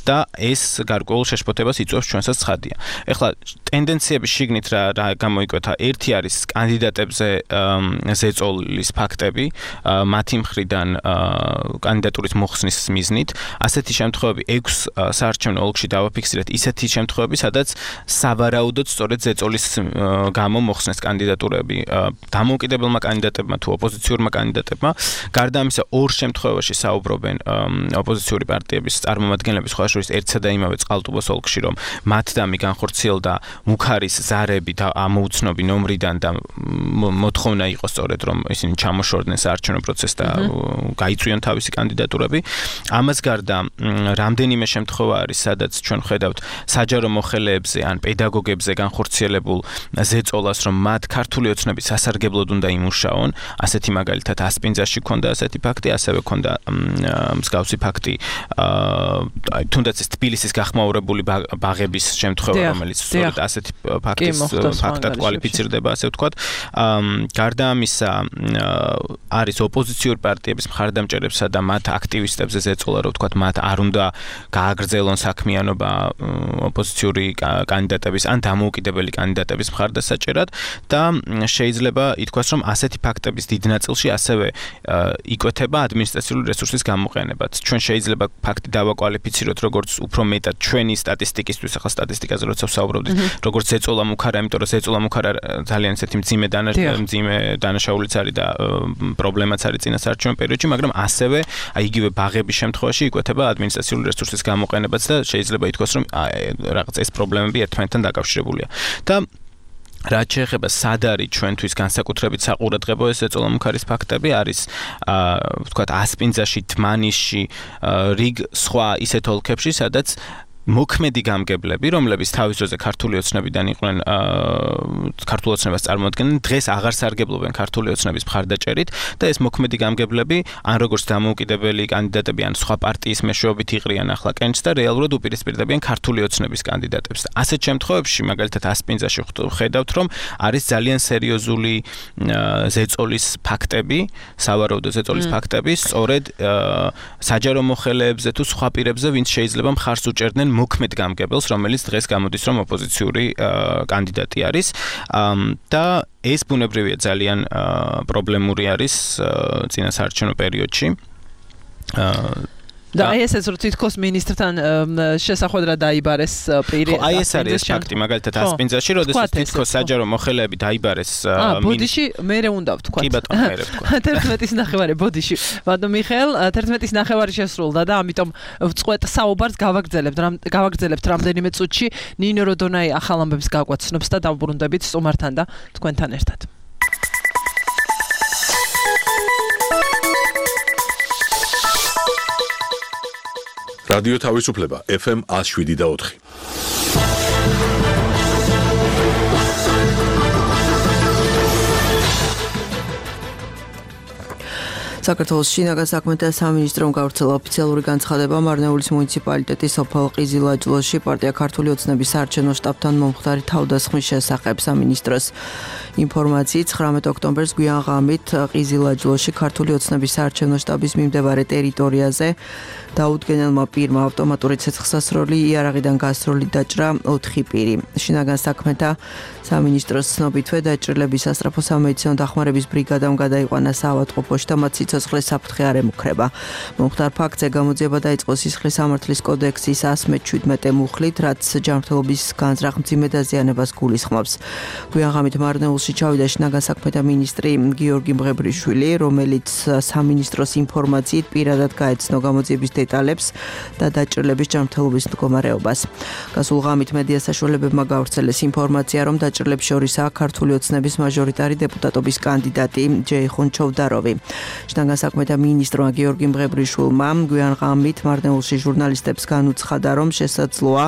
და ეს გარკვეულ შეშფოთებას იწვევს ჩვენსაც ცხადია. ეხლა ტენდენციების შიგნით რა რა გამოიკვეთა, ერთი არის კანდიდატებზე ზეწოლის ფაქტები, მათი მხრიდან კანდიდატურის მოხსნის მიზნით. ასეთი შემთხვევები ექვს საარჩევნო ოლქში დავაფიქსირეთ, ისეთი შემთხვევები, სადაც სავარაუდოდ სწორედ ზეწოლის გამო მოხსნეს კანდიდატურები დამოუკიდებელმა კანდიდატებმა თუ ოპოზიციურმა კანდიდატებმა. გარდა ამისა, ორ შემთხვევაში საუბრობენ ოპოზიციური პარტიების წარმომადგენლები, სხვა შორის ერთსა და იმავე წყალტუბოს ოლქში, რომ მათ დამი განხორციელდა მუხარის ზარები და ამოუცნობი ნომრიდან და მოთხოვნა იყო სწორედ, რომ ისინი ჩამოშორდნენ საარჩევნო პროცესს და გაიწვიონ თავისი კანდიდატურები. ამას გარდა რამდენიმე შემთხვევა არის, სადაც ჩვენ ხედავთ საჯარო მოხელეებზე ან პედაგოგებზე განხორციელებულ ზეწოლას, რომ მათ ქართული ოცნების სასარგებლოდ უნდა იმუშაონ. ასეთი მაგალითად ასპინძაში ქონდა ასეთი ფაქტი, ასევე ქონდა მსგავსი ფაქტი, თუნდაც ეს თბილისის გახმაურებული ბაღების შემთხვევა, რომელიც სწორედ ასეთი ფაქტის ფაქტად კვალიფიცირდება, ასე ვთქვათ. გარდა ამისა, არის ოპოზიციური პარტიების მხარდამჭერებსა და მათ აქტივისტებზე ზეწოლა, რომ ვთქვათ, მათ არ უნდა გააგრძელონ საქმიანობა ოპოზიციური კანდიდატების ან დამოუკიდებელი კანდიდატების მხარდასაჭერად და შეიძლება ითქვას, რომ ასეთი ფაქტების დიდ ნაწილში ასევე იკვეთება ადმინისტრაციული რესურსის გამოყენებაც. ჩვენ შეიძლება ფაქტი დავაკვალიფიციროთ როგორც უფრო მეტად ჩვენი სტატისტიკისთვის, ახლა სტატისტიკაზე როცა ვსაუბრობდით, როგორც ზეწოლა მუხარა, იმიტომ რომ ზეწოლა მუხარა ძალიან ისეთი მძიმე მძიმე დანაშაულიც არის და პრობლემაც არის წინასაარჩევნო პერიოდში, მაგრამ ასევე ასევე აი იგივე ბაღების შემთხვევაში იკვეთება ადმინისტრაციული რესურსის გამოყენებაც და შეიძლება ითქვას, რომ რაღაც ეს პრობლემები ერთმანეთთან დაკავშირებულია. და რაც შეეხება სად არის ჩვენთვის განსაკუთრებით საყურადღებო ეს ეწოლომუქარის ფაქტები არის აა ვთქვათ ასპინძაში, თმანიშში, რიგ სხვა ისეთ ოლქებში, სადაც მოქმედი გამგებლები, რომლებიც თავის დროზე ქართული ოცნებიდან იყვნენ, ქართულ ოცნებას წარმოადგენენ, დღეს აღარ სარგებლობენ ქართული ოცნების მხარდაჭერით და ეს მოქმედი გამგებლები, ან როგორც დამოუკიდებელი კანდიდატები, ან სხვა პარტიის მეშვეობით იყრიან ახლა კენჭს და რეალურად უპირისპირდებიან ქართული ოცნების კანდიდატებს. ასეთ შემთხვევებში, მაგალითად ასპინძაში ხედავთ, რომ არის ძალიან სერიოზული ზეწოლის ფაქტები, სავარაუდო ზეწოლის ფაქტები, სწორედ საჯარო მოხელეებზე თუ სხვა პირებზე, ვინც შეიძლება მხარს უჭერდნენ მოქმედ გამგებელს, რომელიც დღეს გამოდის, რომ ოპოზიციური კანდიდატი არის და ეს ბუნებრივია ძალიან პრობლემური არის წინასაარჩევნო პერიოდში. და აი ესეც რო თითქოს მინისტრთან შესახვედრად დაიბარეს პირი. ხო, აი ეს არის ეს ფაქტი, მაგალითად ასპინძაში, როდესაც თითქოს საჯარო მოხელეები დაიბარეს. აა, ბოდიში მერე უნდა ვთქვა. კი ბატონო, მერე ვთქვა. თერთმეტის ნახევარი ბოდიში. ბატონო მიხეილ, თერთმეტის ნახევარი შესრულდა და ამიტომ ვწყვეტ საუბარს გავაგრძელებთ, გავაგრძელებთ რამდენიმე წუთში. ნინო როდონაი ახალ ამბებს გაგვაცნობს და დავბრუნდებით სტუმართან და თქვენთან ერთად. რადიო თავისუფლება ეფ ემ one oh seven და four. საქართველოს შინაგან საქმეთა სამინისტრომ გავრცელა ოფიციალური განცხადება მარნეულის მუნიციპალიტეტის სოფელ ყიზილაჯლოში პარტია ქართული ოცნების საარჩევნო შტაბთან მომხდარი თავდასხმის შესახებ. სამინისტროს ინფორმაციით ცხრამეტ ოქტომბერს გვიან ღამით ყიზილაჯლოში ქართული ოცნების საარჩევნო შტაბის მიმდებარე ტერიტორიაზე დაუდგენელმა პირმა ავტომატური ცეცხლსასროლი იარაღიდან გასროლი დაჭრა ოთხი პირი. შინაგან საქმეთა სამინისტროს ცნობითვე დაჭრილების სასწრაფო სამედიცინო დახმარების ბრიგადამ გადაიყვანა საავადმყოფოში და მათ სიცოცხლის საფრთხე არ ემუქრება. მომხდარ ფაქტზე გამოძიება დაიწყო სისხლის სამართლის კოდექსის one seventy-seven მუხლით, რაც ჯანმრთელობის განზრახ მძიმე დაზიანებას გულისხმობს. გვიან ღამით მარნეულში ჩავიდა შინაგან საქმეთა მინისტრი გიორგი მღებრიშვილი, რომელიც სამინისტროს ინფორმაციით პირადად გაეცნო გამოძიების დეტალებს და დაჭრილების ჯანმრთელობის მდგომარეობას. გასულ ღამით მედია საშუალებებმა გავრცელეს ინფორმაცია, რომ დაჭრილებს შორისაა ქართული ოცნების მაჟორიტარი დეპუტატობის კანდიდატი ჯეიხუნ ჩოვდაროვი. შინაგან საქმეთა მინისტრმა გიორგი მღებრიშვილმა გვიან ღამით მარნეულში ჟურნალისტებს განუცხადა, რომ შესაძლოა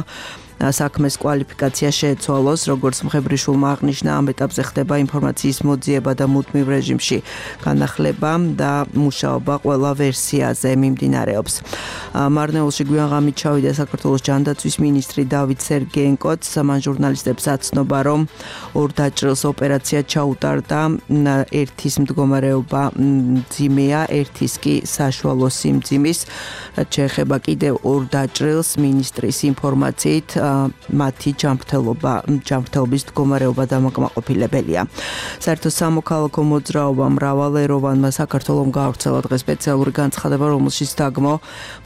საქმეს კვალიფიკაცია შეეცვალოს, როგორც მღებრიშვილმა აღნიშნა, ამ ეტაპზე ხდება ინფორმაციის მოძიება და მუდმივ რეჟიმში განახლება და მუშაობა ყველა ვერსიაზე მიმდინარეობს. მარნეულში გვიან ღამით ჩავიდა საქართველოს ჯანდაცვის მინისტრი დავით სერგეენკოც, მან ჟურნალისტებს აცნობა, რომ ორ დაჭრილს ოპერაცია ჩაუტარდა, ერთის მდგომარეობა მძიმეა, ერთის კი საშუალო სიმძიმის. რაც შეეხება კიდევ ორ დაჭრილს, მინისტრის ინფორმაციით მათი ჯანმრთელობა, ჯანმრთელობის მდგომარეობა დამაკმაყოფილებელია. საერთო სამოქალაქო მოძრაობა მრავალეროვანმა საქართველომ გავრცელა დღეს სპეციალური განცხადება, რომელშიც დაგმო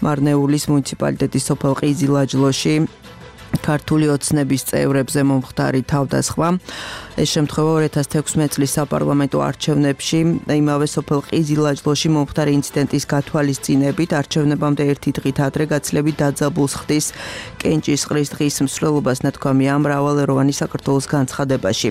მარნეულის მუნიციპალიტეტის სოფელ ყიზილაჯლოში ქართული ოცნების წევრებზე მომხდარი თავდასხმა. ეს შემთხვევა ორი ათას თექვსმეტ წლის საპარლამენტო არჩევნებში იმავე სოფელ ყიზილაჯლოში მომხდარი ინციდენტის გათვალისწინებით არჩევნებამდე ერთი დღით ადრე გაცილებით დაძაბულს ხდის კენჭისყრის დღის მსვლელობას, ნათქვამია მრავალეროვანი საქართველოს განცხადებაში.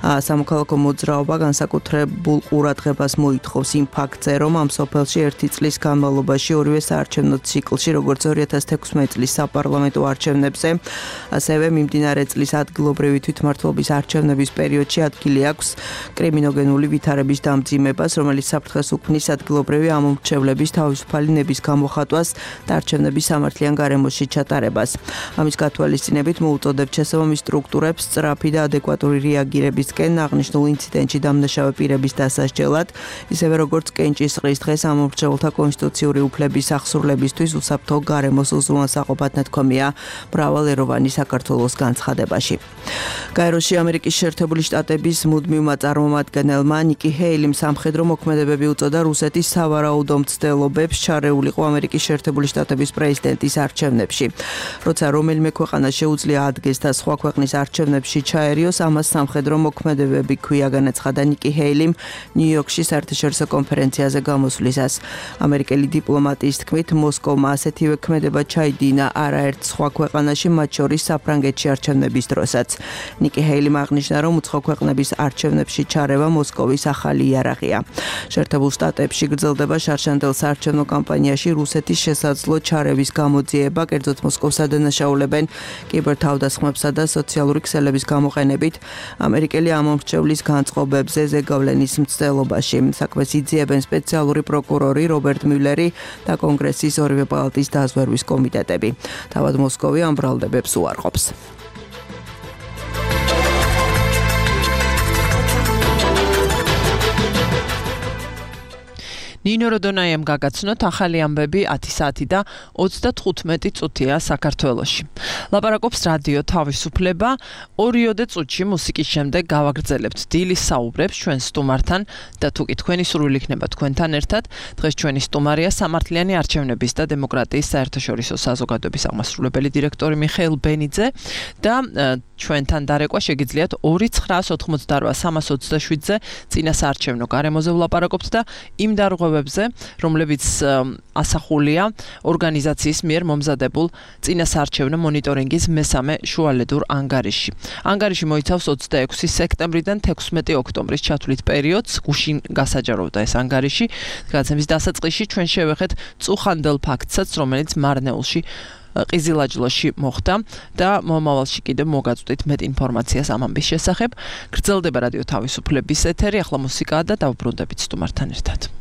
სამოქალაქო მოძრაობა განსაკუთრებულ ყურადღებას მოითხოვს იმ ფაქტზე, რომ ამ სოფელში ერთი წლის განმავლობაში ორივე საარჩევნო ციკლში, როგორც ორი ათას თექვსმეტ წლის საპარლამენტო არჩევნებზე, ასევე მიმდინარე წლის ადგილობრივი თვითმმართველობის არჩევნების პერიოდში ადგილი აქვს კრიმინოგენული ვითარების დამძიმებას, რომელიც საფრთხეს უქმნის ადგილობრივი ამომრჩევლების თავისუფალი ნების გამოხატვას და არჩევნების სამართლიან გარემოში ჩატარებას. ამის გათვალისწინებით მოუწოდებთ შესაბამის სტრუქტურებს სწრაფი და ადეკვატური რეაგირებისკენ აღნიშნულ ინციდენტში დამნაშავე პირების დასასჯელად, ისევე როგორც კენჭისყრის დღეს ამომრჩევლთა კონსტიტუციური უფლების აღსრულებისთვის უსაფრთხო გარემოს უზრუნველსაყოფად, ნათქვამია მრავალეროვანი მნიშვნელოვანი საქართველოს განცხადებაში. გაეროში ამერიკის შეერთებული შტატების მუდმივმა წარმომადგენელმა ნიკი ჰეილიმ სამხედრო მოქმედებები უწოდა რუსეთის სავარაუდო მცდელობებს ჩარეულიყო ამერიკის შეერთებული შტატების პრეზიდენტის არჩევნებში. როცა რომელიმე ქვეყანა შეუძლია ადგეს და სხვა ქვეყნის არჩევნებში ჩაერიოს, ამას სამხედრო მოქმედებები ქვია, განაცხადა ნიკი ჰეილიმ ნიუ-იორკში საერთაშორისო კონფერენციაზე გამოსვლისას. ამერიკელი დიპლომატიის თქმით, მოსკოვმა ასეთივე ქმედება ჩაიდინა არაერთ სხვა ქვეყანაში, მათ შორის საფრანგეთში არჩევნების დროსაც. ნიკი ჰეილიმ აღნიშნა, რომ უცხო ქვეყნების არჩევნებში ჩარევა მოსკოვის ახალი იარაღია. შეერთებულ შტატებში გრძელდება შარშანდელ საარჩევნო კამპანიაში რუსეთის შესაძლო ჩარევის გამოძიება, კერძოდ მოსკოვს ადანაშაულებენ კიბერთავდასხმებსა და სოციალური ქსელების გამოყენებით ამერიკელი ამომრჩევლის განწყობებზე ზეგავლენის მცდელობაში. საქმეს იძიებენ სპეციალური პროკურორი რობერტ მიულერი და კონგრესის ორივე პალატის დაზვერვის კომიტეტები. თავად მოსკოვი ამ ბრალდებებს უარყოფს. ნინო როდონაიამ გაგაცნოთ ახალი ამბები ათი საათი და ოცდათხუთმეტი წუთია საქართველოში. ლაპარაკობს რადიო თავისუფლება. ორიოდე წუთში მუსიკის შემდეგ გავაგრძელებთ დილის საუბრებს ჩვენ სტუმართან და თუკი თქვენი სურვილი იქნება თქვენთან ერთად, დღეს ჩვენი სტუმარია სამართლიანი არჩევნების და დემოკრატიის საერთაშორისო საზოგადოების აღმასრულებელი დირექტორი მიხეილ ბენიძე და ჩვენთან დარეკვა შეგიძლიათ ორი ცხრაას ოთხმოცდარვა სამას ოცდაშვიდზე წინა საარჩევნო გარემოზე ვლაპარაკობთ და იმ დარღვევებზე, რომლებიც ასახულია ორგანიზაციის მიერ მომზადებულ წინა საარჩევნო მონიტორინგის მესამე შუალედურ ანგარიში. ანგარიში მოიცავს ოცდაექვსი სექტემბრიდან თექვსმეტი ოქტომბრის ჩათვლით პერიოდს, გუშინ გასაჯაროვდა ეს ანგარიში. გადაცემის დასაწყისში ჩვენ შევეხეთ წუხანდელ ფაქტსაც, რომელიც მარნეულში ყიზილაჯლოში მოხდა და მომავალში კიდევ მოგაწვდით მეტ ინფორმაციას ამ ამბის შესახებ. გრძელდება რადიო თავისუფლების ეთერი, ახლა მუსიკაა და დავუბრუნდებით სტუმართან ერთად.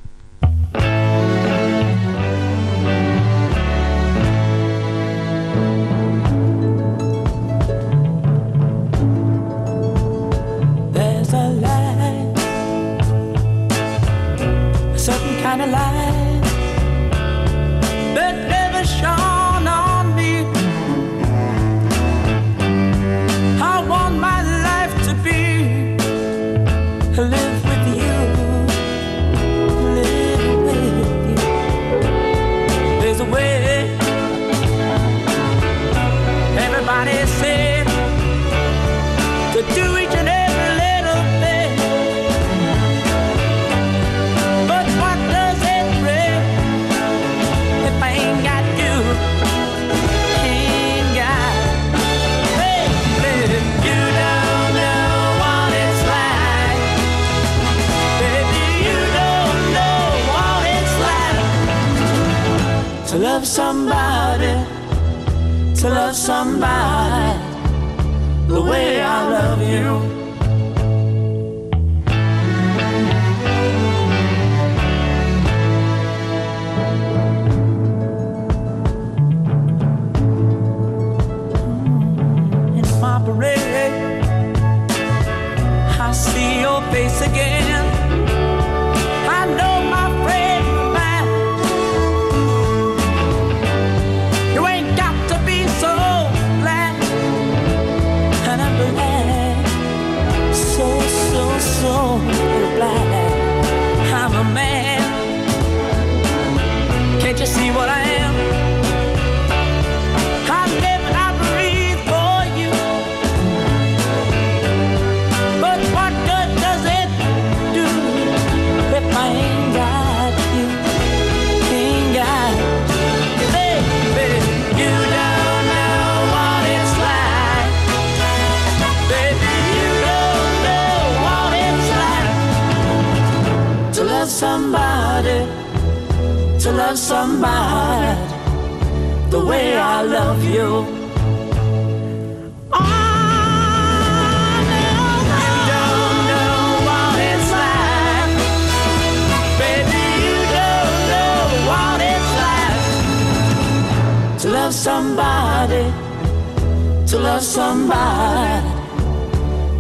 There's a light, a certain kind of light that never shone on me. I want my life to be live with you, live with you. There's a way everybody said to do each and every little thing, but what does it bring if I ain't got you? Ain't got, baby, you don't know what it's like. Baby, you don't know what it's like to love somebody, to love somebody the way I love you. In my parade, I see your face again. I know my friend of mine. You ain't got to be so glad, and I'm glad, so so so glad I'm a man. Can't you see what I am? I live and I breathe for you. But what good does it do if I ain't got you? Ain't got you, baby. You don't know what it's like. Baby, you don't know what it's like to love somebody, to love somebody the way I love you. Oh, no, you don't know what it's like. Baby, you don't know what it's like to love somebody, to love somebody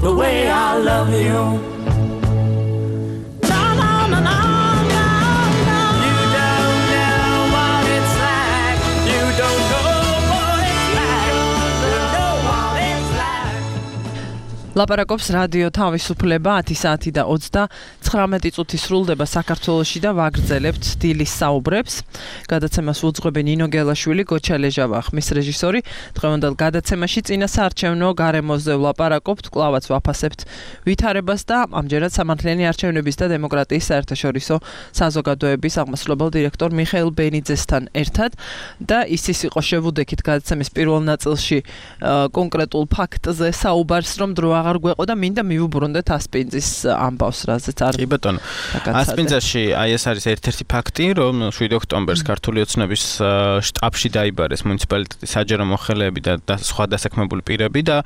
the way I love you. No, no, no, no, no, no. You don't know what it's like. You don't know what it's like. You don't ლაპარაკობს რადიო თავისუფლება ათი საათი და ოცდათხრამეტი წუთი სრულდება საქართველოში და ვაგრძელებთ დილის საუბრებს. გადაცემას უძღვები ნინო გელაშვილი, გოჩა ლეჟავა, ხმის რეჟისორი. დღევანდელ გადაცემაში წინა საარჩევნო გარემოზე ვლაპარაკობთ, კვლავაც ვაფასებთ ვითარებას და ამჯერად სამართლიანი არჩევნების და დემოკრატიის საერთაშორისო საზოგადოების აღმასრულებელ დირექტორ მიხეილ ბენიძესთან ერთად და ის ის იყო შევუდექით გადაცემის პირველ ნაწილში კონკრეტულ ფაქტზე საუბარს, რომ დრო აღარ გვეყო და მინდა მივუბრუნდეთ ასპინძის ამბავს, რაზეც არ. კი ბატონო. ასპინძაში აი ეს არის ერთ-ერთი ფაქტი, რომ შვიდი ოქტომბერს ქართული ოცნების შტაბში დაიბარეს მუნიციპალიტეტის საჯარო მოხელეები და სხვა დასაქმებული პირები და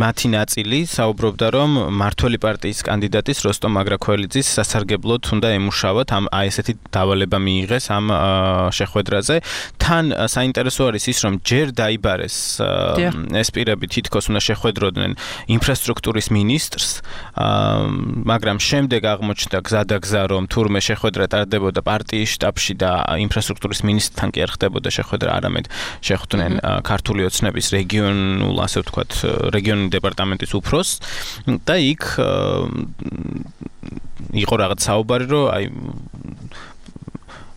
მათი ნაწილი საუბრობდა, რომ მართველი პარტიის კანდიდატის როსტომ მაგრაქველიძის სასარგებლოდ უნდა ემუშავათ, ამ აი ესეთი დავალება მიიღეს ამ შეხვედრაზე. თან საინტერესო არის ის, რომ ჯერ დაიბარეს ეს პირები თითქოს უნდა შეხვედროდნენ ინფრასტრუქტურის მინისტრს, მაგრამ შემდეგ აღმოჩნდა გზადაგზა, რომ თურმე შეხვედრა ტარდებოდა პარტიის შტაბში და ინფრასტრუქტურის მინისტრთან კი არ ხდებოდა შეხვედრა, არამედ შეხვდნენ ქართული ოცნების რეგიონულ, ასე ვთქვათ, რეგიონული დეპარტამენტის უფროსს და იქ იყო რაღაც საუბარი, რომ აი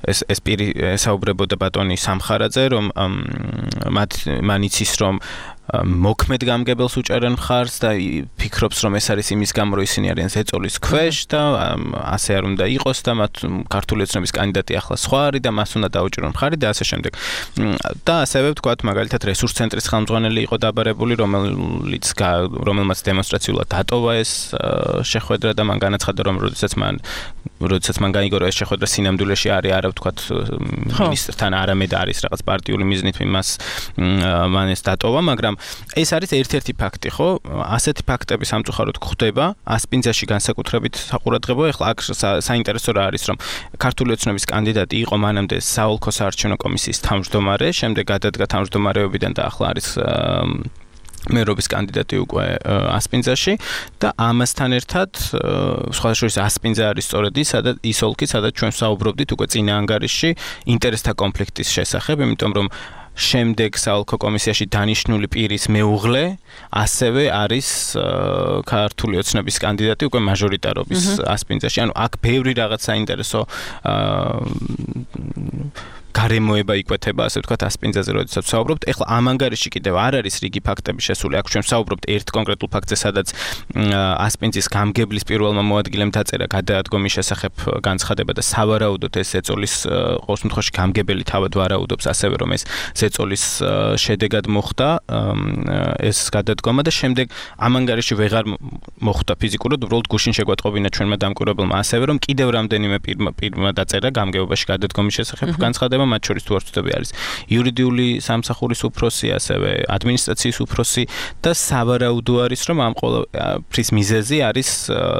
ეს ეს პირი საუბრებოდა ბატონი სამხარაძე, რომ მათ მან იცის, რომ მოქმედ გამგებელს უჭერენ მხარს და ფიქრობს, რომ ეს არის იმის გამო, რომ ისინი არიან ზეწოლის ქვეშ და ასე არ უნდა იყოს და მათ ქართული ოცნების კანდიდატი ახლა სხვა არის და მას უნდა დაუჭირონ მხარი და ასე შემდეგ. და ასევე ვთქვათ, მაგალითად რესურს ცენტრის ხელმძღვანელი იყო დაბარებული, რომელიც რომელმაც დემონსტრაციულად დატოვა ეს შეხვედრა და მან განაცხადა, რომ როდესაც მან როდესაც მან გაიგო, რომ ეს შეხვედრა სინამდვილეში არის არა ვთქვათ მინისტრთან, არამედ არის რაღაც პარტიული მიზნით იმას მან ეს დატოვა, მაგრამ ეს არის ერთ-ერთი ფაქტი, ხო? ასეთი ფაქტები სამწუხაროდ გვხვდება ასპინძაში განსაკუთრებით საყურადღებო. ეხლა აქ საინტერესო რა არის, რომ ქართული ოცნების კანდიდატი იყო მანამდე საოლქო საარჩევნო კომისიის თავმჯდომარე, შემდეგ გადადგა თავმჯდომარეობიდან და ახლა არის მერობის კანდიდატი უკვე ასპინძაში და ამასთან ერთად სხვა შორის ასპინძა არის სწორედ ის, სადაც ის ოლქი, სადაც ჩვენ საუბრობდით უკვე წინა ანგარიშში ინტერესთა კონფლიქტის შესახებ, იმიტომ რომ შემდეგ საოლქო კომისიაში დანიშნული პირის მეუღლე ასევე არის ქართული ოცნების კანდიდატი უკვე მაჟორიტარობის ასპინძაში. ანუ აქ ბევრი რაღაც საინტერესო გარემოება იკვეთება, ასე ვთქვათ, ასპინძაზე, როდესაც ვსაუბრობთ. ეხლა ამ ანგარიში კიდევ არ არის რიგი ფაქტები შესული. აქ ჩვენ ვსაუბრობთ ერთ კონკრეტულ ფაქტზე, სადაც ასპინძის გამგებლის პირველმა მოადგილემ დაწერა გადაადგომის შესახებ განცხადება და სავარაუდოდ ეს ზეწოლის ყოველ შემთხვევაში გამგებელი თავად ვარაუდობს, ასევე რომ ეს ზეწოლის შედეგად მოხდა ეს გადადგომა და შემდეგ ამ ანგარიში ვეღარ მოხდა ფიზიკურად, უბრალოდ გუშინ შეგვატყობინა ჩვენმა დამკვირვებელმა, ასევე რომ კიდევ რამდენიმე პირმა დაწერა გამგებობაში გადადგომის შესახებ განცხადება, მათ შორის თუ არ ვწდები არის იურიდიული სამსახურის უფროსი, ასევე ადმინისტრაციის უფროსი და სავარაუდო არის, რომ ამ ყველაფრის მიზეზი არის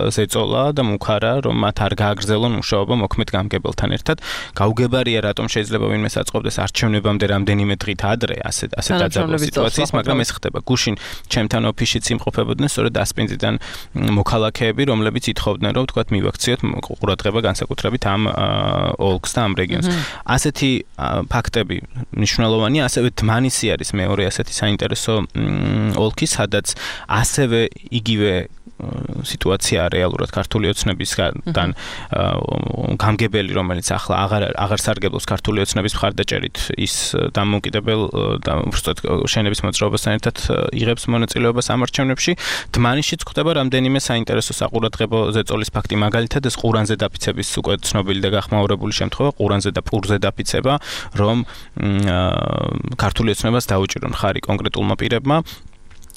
ზეწოლა და მუქარა, რომ მათ არ გააგრძელონ მუშაობა მოქმედ გამგებელთან ერთად. გაუგებარია, რატომ შეიძლება ვინმე საწყობდეს არჩევნებამდე რამდენიმე დღით ადრე ასე ასე დაძაბულ სიტუაციას, მაგრამ ეს ხდება. გუშინ ჩემთან ოფისშიც იმყოფებოდნენ სწორედ ასპინძიდან მოქალაქეები, რომლებიც ითხოვდნენ, რომ ვთქვათ, მივაქციოთ ყურადღება განსაკუთრებით ამ ოლქს და ამ რეგიონს. ასეთი ფაქტები მნიშვნელოვანია, ასევე დმანისი არის მეორე ასეთი საინტერესო ოლქი, სადაც ასევე იგივე სიტუაცია რეალურად ქართული ოცნებისგან გამგებელი, რომელიც ახლა აღარ აღარ სარგებლობს ქართული ოცნების მხარდაჭერით, ის დამოუკიდებელ და უბრალოდ შენების მოძრაობასთან ერთად იღებს მონაწილეობას ამ არჩევნებში. დმანისშიც ხდება რამდენიმე საინტერესო საყურადღებო ზეწოლის ფაქტი, მაგალითად ეს ყურანზე დაფიცების უკვე ცნობილი და გახმაურებული შემთხვევა, ყურანზე და პურზე დაფიცება, რომ ქართული ოცნებას დაუჭირონ ხარი კონკრეტულმა პირებმა.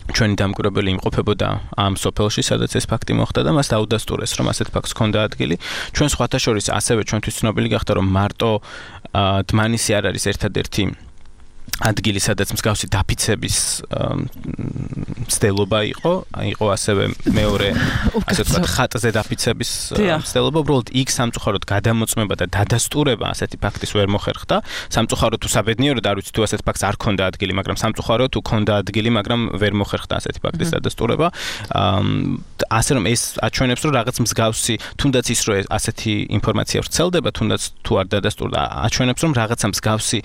ჩვენი დამკვირვებელი იმყოფებოდა ამ სოფელში, სადაც ეს ფაქტი მოხდა და მას დაუდასტურეს, რომ ასეთ ფაქტს ჰქონდა ადგილი. ჩვენ სხვათა შორის ასევე ჩვენთვის ცნობილი გახდა, რომ მარტო დმანისი არ არის ერთადერთი ადგილი, სადაც მსგავსი დაფიცების მცდელობა იყო, იყო ასევე მეორე, ასე ვთქვათ, ხატზე დაფიცების მცდელობა, უბრალოდ იქ სამწუხაროდ გადამოწმება და დადასტურება ასეთი ფაქტის ვერ მოხერხდა. სამწუხაროდ თუ საბედნიეროდ არ ვიცი თუ ასეთ ფაქტს არ ქონდა ადგილი, მაგრამ სამწუხაროდ თუ ქონდა ადგილი, მაგრამ ვერ მოხერხდა ასეთი ფაქტის დადასტურება. ასე რომ ეს აჩვენებს რომ რაღაც მსგავსი თუნდაც ის რომ ასეთი ინფორმაცია ვრცელდება თუნდაც თუ არ დადასტურდა აჩვენებს რომ რაღაცა მსგავსი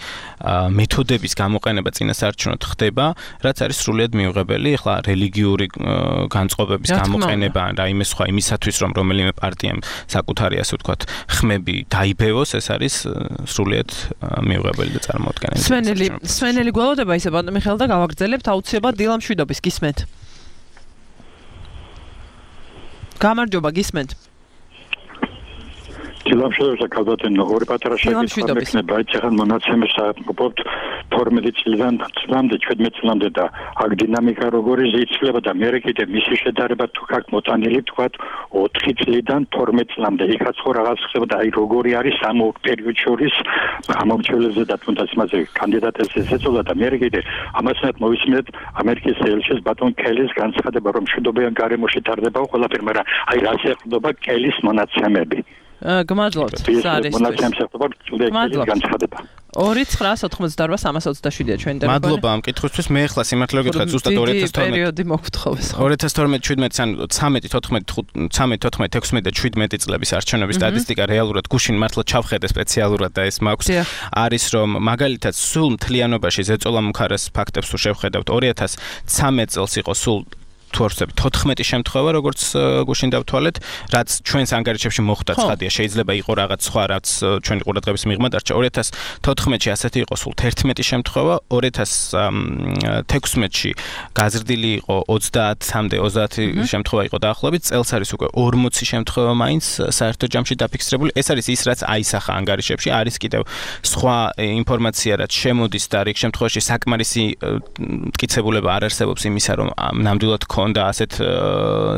მეთოდების გამოყენება წინასაარჩევნოდ ხდება რაც არის სრულიად მიუღებელი ახლა რელიგიური განწყობების გამოყენება რაიმე სხვა იმისათვის რომ რომელიმე პარტიამ საკუთარი ასე ვთქვათ ხმები დაიბევოს ეს არის სრულიად მიუღებელი და წარმოუდგენელი სვენელი სვენელი გველოდება ისე ბატონ მიხეილ და გავაგრძელებთ აუცილებლად დილამ მშვიდობის გისმენთ გამარჯობა გისმენთ დილამ მშვიდობის კალბატონო ორი პატარა შეკითხვა მექნება იცახან მონაცემებს საუბრობთ თორმეტი წლიდან წლამდე ჩვიდმეტ წლამდე და აქ დინამიკა როგორი იცვლება და მე კიდე მისი შედარება თუ აქ მოტანილი თქვათ ოთხი წლიდან თორმეტ წლამდე იქაც ხო რაღაც ხდება და აი როგორი არის ამ პერიოდ შორის ამომრჩევლებზე და თუნდაც მასე კანდიდატებს ეცეცოლა და მე კიდე ამასთან მოვისმენთ ამერიკის ელჩის ბატონ კელის განცხადება რომ მშვიდობიან გარემოში ტარდება ყველაფერი მაგრამ აი რაც ეხება კელის მონაცემები გმადლობთ ორი ცხრას ოთხმოცდაორი სამას ოცდაშვიდია ჩვენ და მადლობა ამ კითხვისთვის მე ახლა სიმართლე გითხრათ ზუსტად ორი ათას თორმეტი პერიოდი მოგთხოვეს ორი ათას თორმეტი შვიდმეტი ან ცამეტი თოთხმეტი ცამეტი თოთხმეტი ექვსმეტი და შვიდმეტი წლების არჩევნების სტატისტიკა რეალურად გუშინ მართლა ჩავხედე სპეციალურად და ეს მაქვს არის რომ მაგალითად სულ მთლიანობაში ზეწოლა მუხარეს ფაქტებს თუ შევხედავთ ორი ათას ცამეტი წელს იყო სულ თუ არ ვცდები თოთხმეტი შემთხვევა როგორც გუშინ დავთვალეთ რაც ჩვენს ანგარიშებში მოხვდა ცხადია შეიძლება იყო რაღაც სხვა რაც ჩვენი ყურადღების მიღმა დარჩა ორი ათას თოთხმეტში ასეთი იყო სულ თერთმეტი შემთხვევა ორი ათას თექვსმეტში გაზრდილი იყო ოცდაათამდე ოცდაათი შემთხვევა იყო დაახლოებით წელს არის უკვე ორმოცი შემთხვევა მაინც საერთო ჯამში დაფიქსირებული ეს არის ის რაც აისახა ანგარიშებში არის კიდევ სხვა ინფორმაცია რაც შემოდის და რიგ შემთხვევაში საკმარისი მტკიცებულება არ არსებობს იმისა რომ ნამდვილად და ასეთ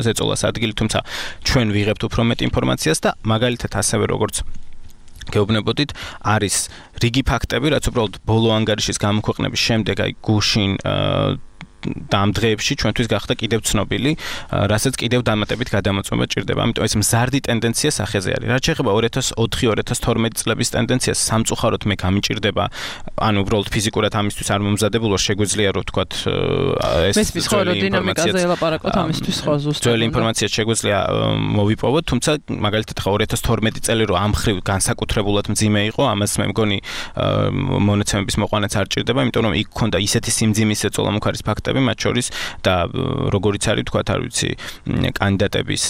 ზეწოლას ადგილი, თუმცა ჩვენ ვიღებთ უფრო მეტ ინფორმაციას და მაგალითად ასევე როგორც გეუბნებოდით, არის რიგი ფაქტები, რაც უბრალოდ ბოლო ანგარიშის გამოქვეყნების შემდეგ აი გუშინ და ამ დღეებში ჩვენთვის გახდა კიდევ ცნობილი, რასაც კიდევ დამატებით გადამოწმება ჭირდება. ამიტომ ეს მზარდი ტენდენცია სახეზე არის. რაც შეეხება ორი ათას ოთხი ორი ათას თორმეტი წლების ტენდენციას, სამწუხაროდ მე გამიჭირდება, ანუ უბრალოდ ფიზიკურად ამისთვის არ მომზადებულ ვარ, შეგვიძლია რომ ვთქვათ ეს მესმის ხო რომ დინამიკაზე ელაპარაკოთ ამისთვის ხო ზუსტად. ძველი ინფორმაცია შეგვიძლია მოვიპოვოთ, თუმცა მაგალითად ხო ორი ათას თორმეტი წელი რომ ამ ხრივ განსაკუთრებულად მძიმე იყო, ამას მე მგონი მონაცემების მოყვანაც არ ჭირდება, იმიტომ რომ იქ ქონდა ისეთი სიმძიმის ზეწოლა მუხარის ფაქტები მათ შორის და როგორიც არის თქვათ არ ვიცი კანდიდატების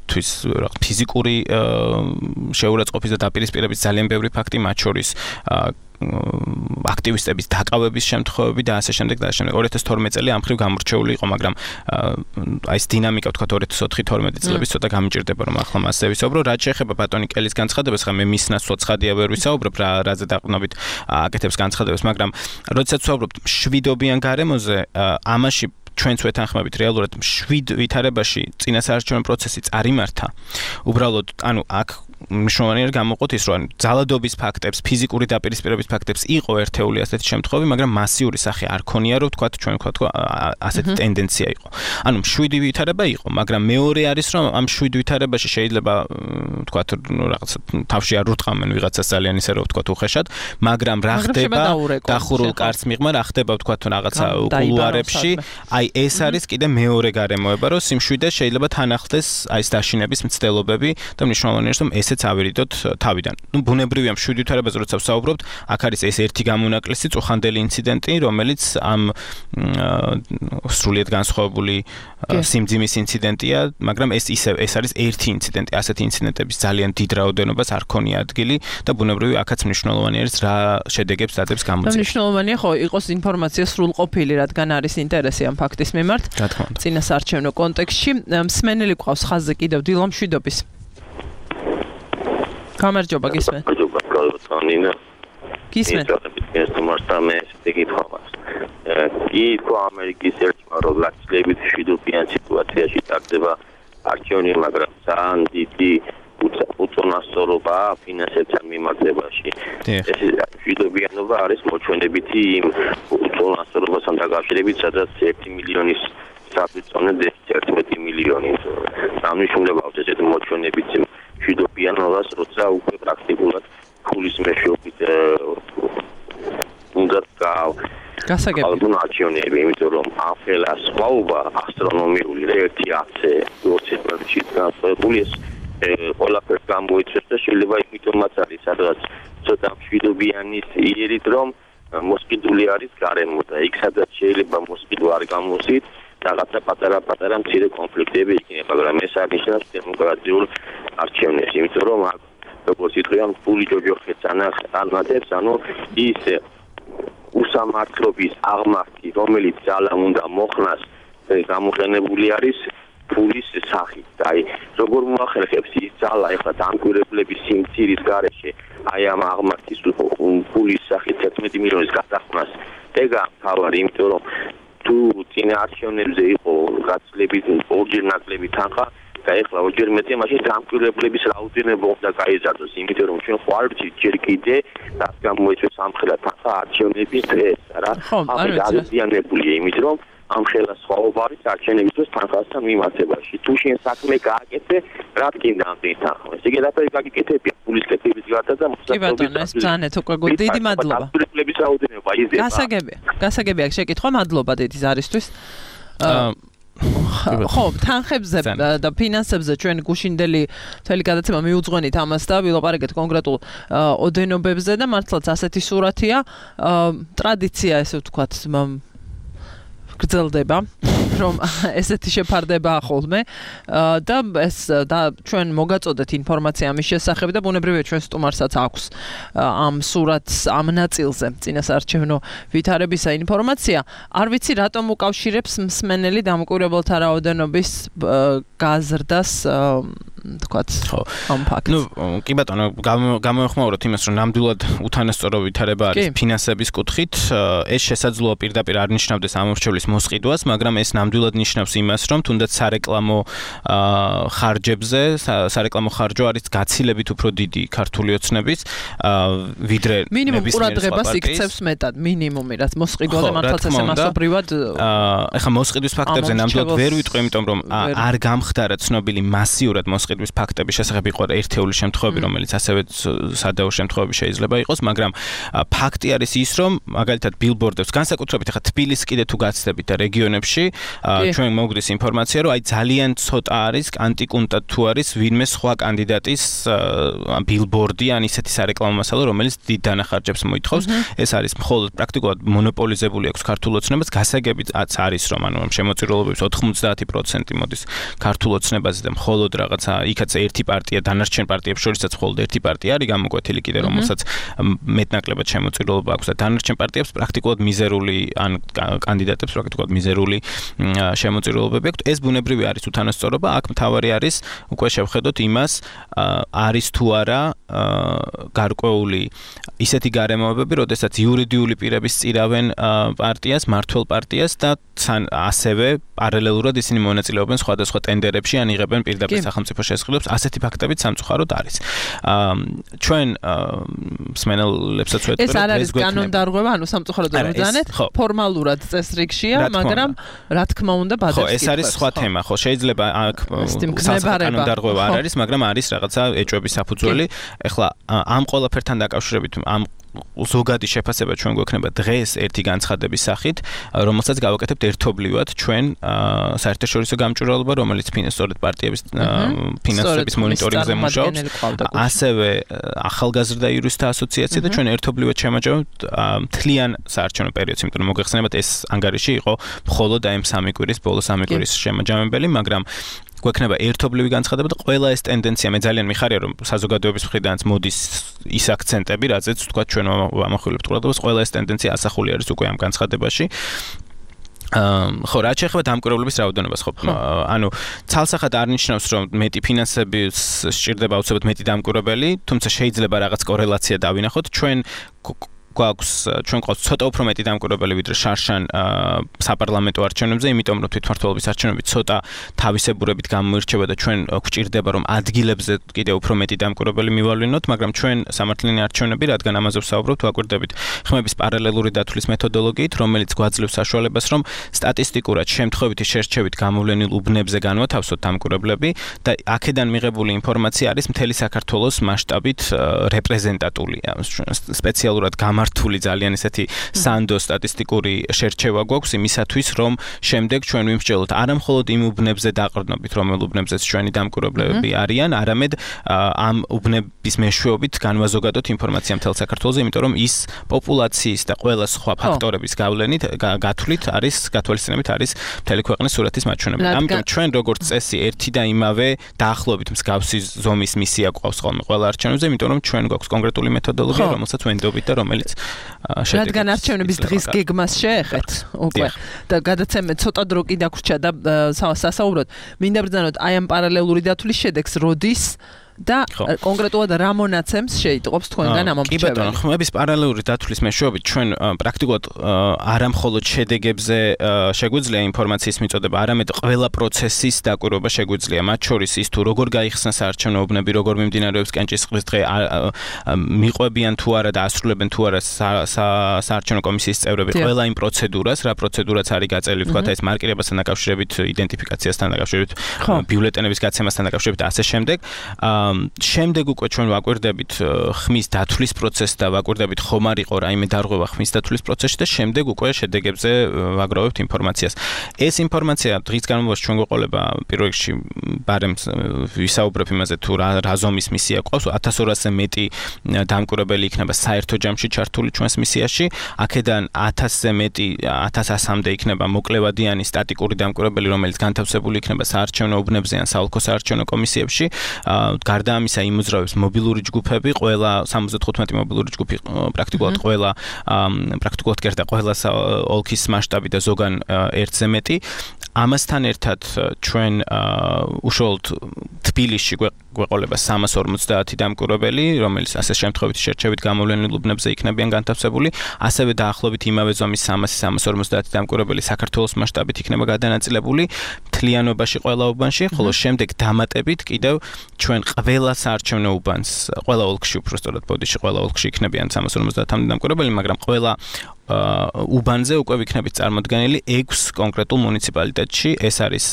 თვის რაღაც ფიზიკური შეურაცხყოფის და დაპირისპირების ძალიან ბევრი ფაქტი მათ შორის აქტივისტების დაკავების შემთხვევები და ასე შემდეგ და ასე შემდეგ ორი ათას თორმეტი წელი ამ ხრივ გამორჩეული იყო მაგრამ აი ეს დინამიკა თქვათ ორი ათას ოთხი თორმეტი წლების ცოტა გამიჭირდება რომ ახლა მასზე ვისაუბრო რაც შეეხება ბატონი კელის განცხადებას ხა მე მის ნაცვლად ცხადია ვერ ვისაუბრებ რა რაზე დაყრდნობით აკეთებს განცხადებას მაგრამ როდესაც ვსაუბრობთ მშვიდობიან გარემოზე ამაში ჩვენც ვეთანხმებით რეალურად შვიდ ვითარებაში წინასაარჩევნო პროცესი წარიმართა უბრალოდ ანუ აქ მნიშვნელოვანია გამოყოთ ის რომ ძალადობის ფაქტებს, ფიზიკური დაპირისპირების ფაქტებს იყო ერთეული ასეთი შემთხვევები, მაგრამ მასიური სახე არ ქონია რომ თქვა ჩვენ ვთქვათ ასეთი ტენდენცია იყო. ანუ მშვიდი ვითარება იყო, მაგრამ მეორე არის რომ ამ მშვიდ ვითარებაში შეიძლება ვთქვათ რაღაც თავში არ ურტყამენ ვიღაცას ძალიან ისე რომ ვთქვათ უხეშად, მაგრამ რა ხდება დახურულ კარს მიღმა, რა ხდება ვთქვათ რაღაცა კულუარებში, აი ეს არის კიდე მეორე გარემოება, რომ სიმშვიდე შეიძლება თან ახლდეს აი ეს დაშინების მცდელობები და მნიშვნელოვანია რომ ეს ავირიდოთ თავიდან. ნუ ბუნებრივია მშვიდ ვითარებაზე როცა ვსაუბრობთ, აქ არის ეს ერთი გამონაკლისი წუხანდელი ინციდენტი, რომელიც ამ სრულიად განსხვავებული სიმძიმის ინციდენტია, მაგრამ ეს ისე ეს არის ერთი ინციდენტი. ასეთი ინციდენტების ძალიან დიდ რაოდენობას არ ქონია ადგილი და ბუნებრივია აქაც მნიშვნელოვანი არის რა შედეგებს დადებს გამოძიებას. მნიშვნელოვანია ხო იყოს ინფორმაცია სრულყოფილი, რადგან არის ინტერესი ამ ფაქტის მიმართ. წინასაარჩევნო კონტექსტში მსმენელი ყავს ხაზზე კიდევ დილო მშვიდობის. გამარჯობა გისმენთ. გამარჯობა კალბატონინა. გისმენთ. ეს თუმარსამე შეგიფხავს. კი ხო ამერიკის ერთმა რომ ლაცლებით შვიდობიან სიტუაციაში ტარდება არჩევნი, მაგრამ ძალიან დიდი უწონასწორობა ფინანსებთან მიმართებაში. ეს შვიდობიანობა არის მოჩვენებითი იმ უწონასწორობასთან დაკავშირებით, სადაც ერთი მილიონის საფრთხე ერთმეტი მილიონი. ამნიშნულებს ესეთ მოჩვენებითი შვიდობიანობას, როცა უკვე პრაქტიკულად ფულის მეშვეობით უნდა ალბათ არჩევნები, იმიტომ რომ ახლა სხვაობა ასტრონომიული ერთი ათზე ოცი პროცენტში განსხვავებული ეს ყველაფერს გამოიწვევს და შეიძლება იმიტომაც არის სადღაც ცოტა მშვიდობიანის იერით რომ მოსყიდული არის გარემო და იქ სადაც შეიძლება მოსყიდვა არ გამოსით რაღაცა პატარა-პატარა მცირე კონფლიქტები იქნება, მაგრამ ეს აღნიშნავს დემოკრატიულ არჩევნებს, იმიტომ რომ როგორც იტყვიან, ფული ჯოჯოხეთს ანათებს, ანუ ის უსამართლობის აღმართი, რომელიც ძალა უნდა მოხნას, გამოყენებული არის ფულის სახით. აი, როგორ მოახერხებს ის ძალა ეხლა დამკვირვებლების სიმცირის გარეშე, აი ამ აღმართის ფულის სახით თერთმეტი მილიონის გადახდას. ეგა თავარი, იმიტომ რომ თუ წინა არჩევნებზე იყო გაცილებით ორჯერ ნაკლები თანხა და ეხლა ორჯერ მეტია, მაშინ დამკვირვებლების რაოდენობა უნდა გაიზარდოს, იმიტომ რომ ჩვენ ხარ ჯერ კიდე რაც გამოიწვევს ამხელა თანხა არჩევნების დღეს, რა. ამით აღიზიანებულია, იმიტომ რომ ამხელა სხვაობა არის არჩევნებისთვის თანხასთან მიმართებაში. თუ შენ საქმე გააკეთე, რა გინდა ამ თანხა? ესე იგი დაფერი გაგიკეთებია ფულის კეთების გარდა და კი ბატონო, ეს ძალიან უკვე დიდი მადლობა. დამკვირვებლების რაოდენობა იზრდება. გასაგებია. გასაგებია შეკითხვა, მადლობა დიდი ზარისთვის. ხო, თანხებზე და ფინანსებზე ჩვენ გუშინდელი მთელი გადაცემა მიუძღვენით ამას და ვილაპარაკეთ კონკრეტულ ოდენობებზე და მართლაც ასეთი სურათია. ტრადიცია, ესე ვთქვათ, გრძელდება, რომ ესეთი შეფარდება ხოლმე და ეს და ჩვენ მოგაწოდეთ ინფორმაცია ამის შესახებ და ბუნებრივია ჩვენ სტუმარსაც აქვს ამ სურათს ამ ნაწილზე წინასაარჩევნო ვითარებისა ინფორმაცია. არ ვიცი რატომ უკავშირებს მსმენელი დამკვირვებელთა რაოდენობის გაზრდას თქვათ ამ ფაქტს. ნუ კი ბატონო, გამოეხმაუროთ იმას, რომ ნამდვილად უთანასწორო ვითარება არის ფინანსების კუთხით. ეს შესაძლოა პირდაპირ არ ნიშნავდეს ამორჩევლის მოსყიდვას, მაგრამ ეს ნამდვილად ნიშნავს იმას, რომ თუნდაც სარეკლამო ხარჯებზე, სარეკლამო ხარჯო არის გაცილებით უფრო დიდი ქართული ოცნების, ვიდრე მინიმუმ ყურადღებას იქცევს მეტად, მინიმუმი, რაც მოსყიდვაზე მართლაც ესე მასობრივად. ეხლა მოსყიდვის ფაქტებზე ნამდვილად ვერ ვიტყვი, იმიტომ რომ არ გამხდარა ცნობილი მასიურად მოსყიდვის ფაქტები შესახებ იყო ერთეული შემთხვევები, რომელიც ასევე სადაო შემთხვევები შეიძლება იყოს, მაგრამ ფაქტი არის ის, რომ მაგალითად ბილბორდებს, განსაკუთრებით ეხლა თბილისს კიდე თუ გაცდებით და რეგიონებში ჩვენ მოგვდის ინფორმაცია, რომ აი ძალიან ცოტა არის ანტიკუნტად თუ არის ვინმე სხვა კანდიდატის ბილბორდი ან ისეთი სარეკლამო მასალა, რომელიც დიდ დანახარჯებს მოითხოვს. ეს არის მხოლოდ პრაქტიკულად მონოპოლიზებული აქვს ქართულ ოცნებას, გასაგებიც არის რომ ანუ შემოწირულობების ოთხმოცდაათი პროცენტი მოდის ქართულ ოცნებაზე და მხოლოდ რაღაცა იქაც ერთი პარტია დანარჩენ პარტიებს შორისაც მხოლოდ ერთი პარტია არის გამოკვეთილი კიდე, რომელსაც მეტნაკლებად შემოწირულობა აქვს და დანარჩენ პარტიებს პრაქტიკულად მიზერული ან კანდიდატებს პრაქტიკულად მიზერული შემოწირულობები აქვთ. ეს ბუნებრივი არის უთანასწორობა, აქ მთავარი არის უკვე შევხედოთ იმას, არის თუ არა გარკვეული ისეთი გარემოებები, როდესაც იურიდიული პირები სწირავენ პარტიას, მართველ პარტიას და ასევე პარალელურად ისინი მონაწილეობენ სხვადასხვა ტენდერებში ან იღებენ პირდაპირ სახელმწიფო შესყიდვებს, ასეთი ფაქტებიც სამწუხაროდ არის. ჩვენ მსმენელებსაც ვეთქვი, ეს არ არის კანონდარღვევა, ანუ სამწუხაროდ არ ვიძანეთ, ფორმალურად წესრიგშია, მაგრამ რა თქმა უნდა ბადებს ხო, ეს არის სხვა თემა, ხო, შეიძლება აქ კანონდარღვევა არ არის, მაგრამ არის რაღაცა ეჭვების საფუძველი. ეხლა ამ ყველაფერთან დაკავშირებით ამ ზოგადი შეფასება ჩვენ გვექნება დღეს ერთი განცხადების სახით, რომელსაც გავაკეთებთ ერთობლივად ჩვენ საერთაშორისო გამჭვირვალობა, რომელიც სწორედ პარტიების ფინანსების მონიტორინგზე მუშაობს, ასევე ახალგაზრდა იურისტთა ასოციაცია და ჩვენ ერთობლივად შემაჯამებთ მთლიან საარჩევნო პერიოდს, იმიტომ რომ მოგეხსენებათ ეს ანგარიში იყო მხოლოდ აი ამ სამი კვირის, ბოლო სამი კვირის შემაჯამებელი, მაგრამ გვექნება ერთობლივი განცხადება და ყველა ეს ტენდენცია მე ძალიან მიხარია რომ საზოგადოების მხრიდანაც მოდის ის აქცენტები, რაზეც თქვა ჩვენ ვამახვილებთ ყურადღებას, ყველა ეს ტენდენცია ასახული არის უკვე ამ განცხადებაში. ხო, რაც შეეხება დამკვირვებლების რაოდენობას, ხო, ანუ ცალსახად არ ნიშნავს, რომ მეტი ფინანსების სჭირდება აუცილებლად მეტი დამკვირვებელი, თუმცა შეიძლება რაღაც კორელაცია დავინახოთ. ჩვენ გვაქვს ჩვენ გვყავს ცოტა უფრო მეტი დამკვირვებელი ვიდრე შარშან საპარლამენტო არჩევნებზე, იმიტომ რომ თვითმმართველობის არჩევნები ცოტა თავისებურებით გამოირჩევა და ჩვენ გვჭირდება რომ ადგილებზე კიდევ უფრო მეტი დამკვირვებელი მივალვინოთ, მაგრამ ჩვენ სამართლიანი არჩევნები, რადგან ამაზე ვსაუბრობთ, ვაკვირდებით ხმების პარალელური დათვლის მეთოდოლოგიით, რომელიც გვაძლევს საშუალებას, რომ სტატისტიკურად შემთხვევითი შერჩევით გამოვლენილ უბნებზე განვათავსოთ დამკვირვებლები და აქედან მიღებული ინფორმაცია არის მთელი საქართველოს მასშტაბით რეპრეზენტატული, სპეციალურად გამა გამართული ძალიან ესეთი სანდო სტატისტიკური შერჩევა გვაქვს იმისათვის, რომ შემდეგ ჩვენ ვიმსჯელოთ არა მხოლოდ იმ უბნებზე დაყრდნობით, რომელ უბნებზეც ჩვენი დამკვირვებლები არიან, არამედ ამ უბნების მეშვეობით განვაზოგადოთ ინფორმაცია მთელ საქართველოზე, იმიტომ რომ ის პოპულაციის და ყველა სხვა ფაქტორების გავლენით გათვლით არის გათვალისწინებით არის მთელი ქვეყნის სურათის მაჩვენებელი. ამიტომ ჩვენ როგორც წესი ერთი და იმავე დაახლოებით მსგავსი ზომის მისია გვყავს ხოლმე ყველა არჩევნებზე, იმიტომ რომ ჩვენ გვაქვს კონკრეტული მეთოდოლოგია, რომელსაც ვენდობით და რომელიც შედეგს. რადგან არჩევნების დღის გეგმას შეეხეთ უკვე და გადაცემა ცოტა დრო კი დაგვრჩა და სასაუბროდ მინდა ბრძანოთ აი ამ პარალელური დათვლის შედეგს როდის და კონკრეტულად რა მონაცემს შეიტყობს თქვენგან ამ მომხრეებში. კი ბატონო, ხმების პარალელური დათვლის მეშვეობით ჩვენ პრაქტიკულად არა მხოლოდ შედეგებზე შეგვიძლია ინფორმაციის მიწოდება, არამედ ყველა პროცესის დაკვირვება შეგვიძლია, მათ შორის ის თუ როგორ გაიხსნა საარჩევნო უბნები, როგორ მიმდინარეობს კენჭისყრის დღე, მიყვებიან თუ არა და ასრულებენ თუ არა საარჩევნო კომისიის წევრები ყველა იმ პროცედურას, რა პროცედურაც არის გაწეული, თქვათ ეს მარკირებასთან დაკავშირებით, იდენტიფიკაციასთან დაკავშირებით, ბიულეტენების გაცემასთან დაკავშირებით და ასე შემდეგ. შემდეგ უკვე ჩვენ ვაკვირდებით ხმის დათვლის პროცესს და ვაკვირდებით ხომ არ იყო რაიმე დარღვევა ხმის დათვლის პროცესში და შემდეგ უკვე შედეგებზე ვაგროვებთ ინფორმაციას. ეს ინფორმაცია დღის განმავლობაში ჩვენ გვეყოლება პირველ რიგში ბარემ ვისაუბრებ იმაზე თუ რა ზომის მისია ყავს, ათას ორასზე მეტი დამკვირვებელი იქნება საერთო ჯამში ჩართული ჩვენს მისიაში, აქედან ათასზე მეტი ათას ასამდე იქნება მოკლევადიანი სტატიკური დამკვირვებელი, რომელიც განთავსებული იქნება საარჩევნო უბნებზე ან საოლქო საარჩევნო კომისიებში. გარდა ამისა იმოძრავებს მობილური ჯგუფები, ყველა სამოცდათხუთმეტი მობილური ჯგუფი პრაქტიკულად ყველა პრაქტიკულად კერდა ყველა ოლქის მასშტაბი და ზოგან ერთზე მეტი. ამასთან ერთად ჩვენ უშუალოდ თბილისში გვეყოლება სამას ორმოცდაათი დამკვირვებელი, რომელიც ასე შემთხვევით შერჩევით გამოვლენილ უბნებზე იქნებიან განთავსებული, ასევე დაახლოებით იმავე ზომის სამას ორმოცდაათი დამკვირვებელი საქართველოს მასშტაბით იქნება გადანაწილებული მთლიანობაში ყველა უბანში, ხოლო შემდეგ დამატებით კიდევ ჩვენ ყველა საარჩევნო უბანს, ყველა ოლქში უბრალოდ ბოდიში ყველა ოლქში იქნებიან სამას ორმოცდაათამდე დამკვირვებელი, მაგრამ ყველა უბანზე უკვე ვიქნებით წარმოდგენილი ექვს კონკრეტულ მუნიციპალიტეტში, ეს არის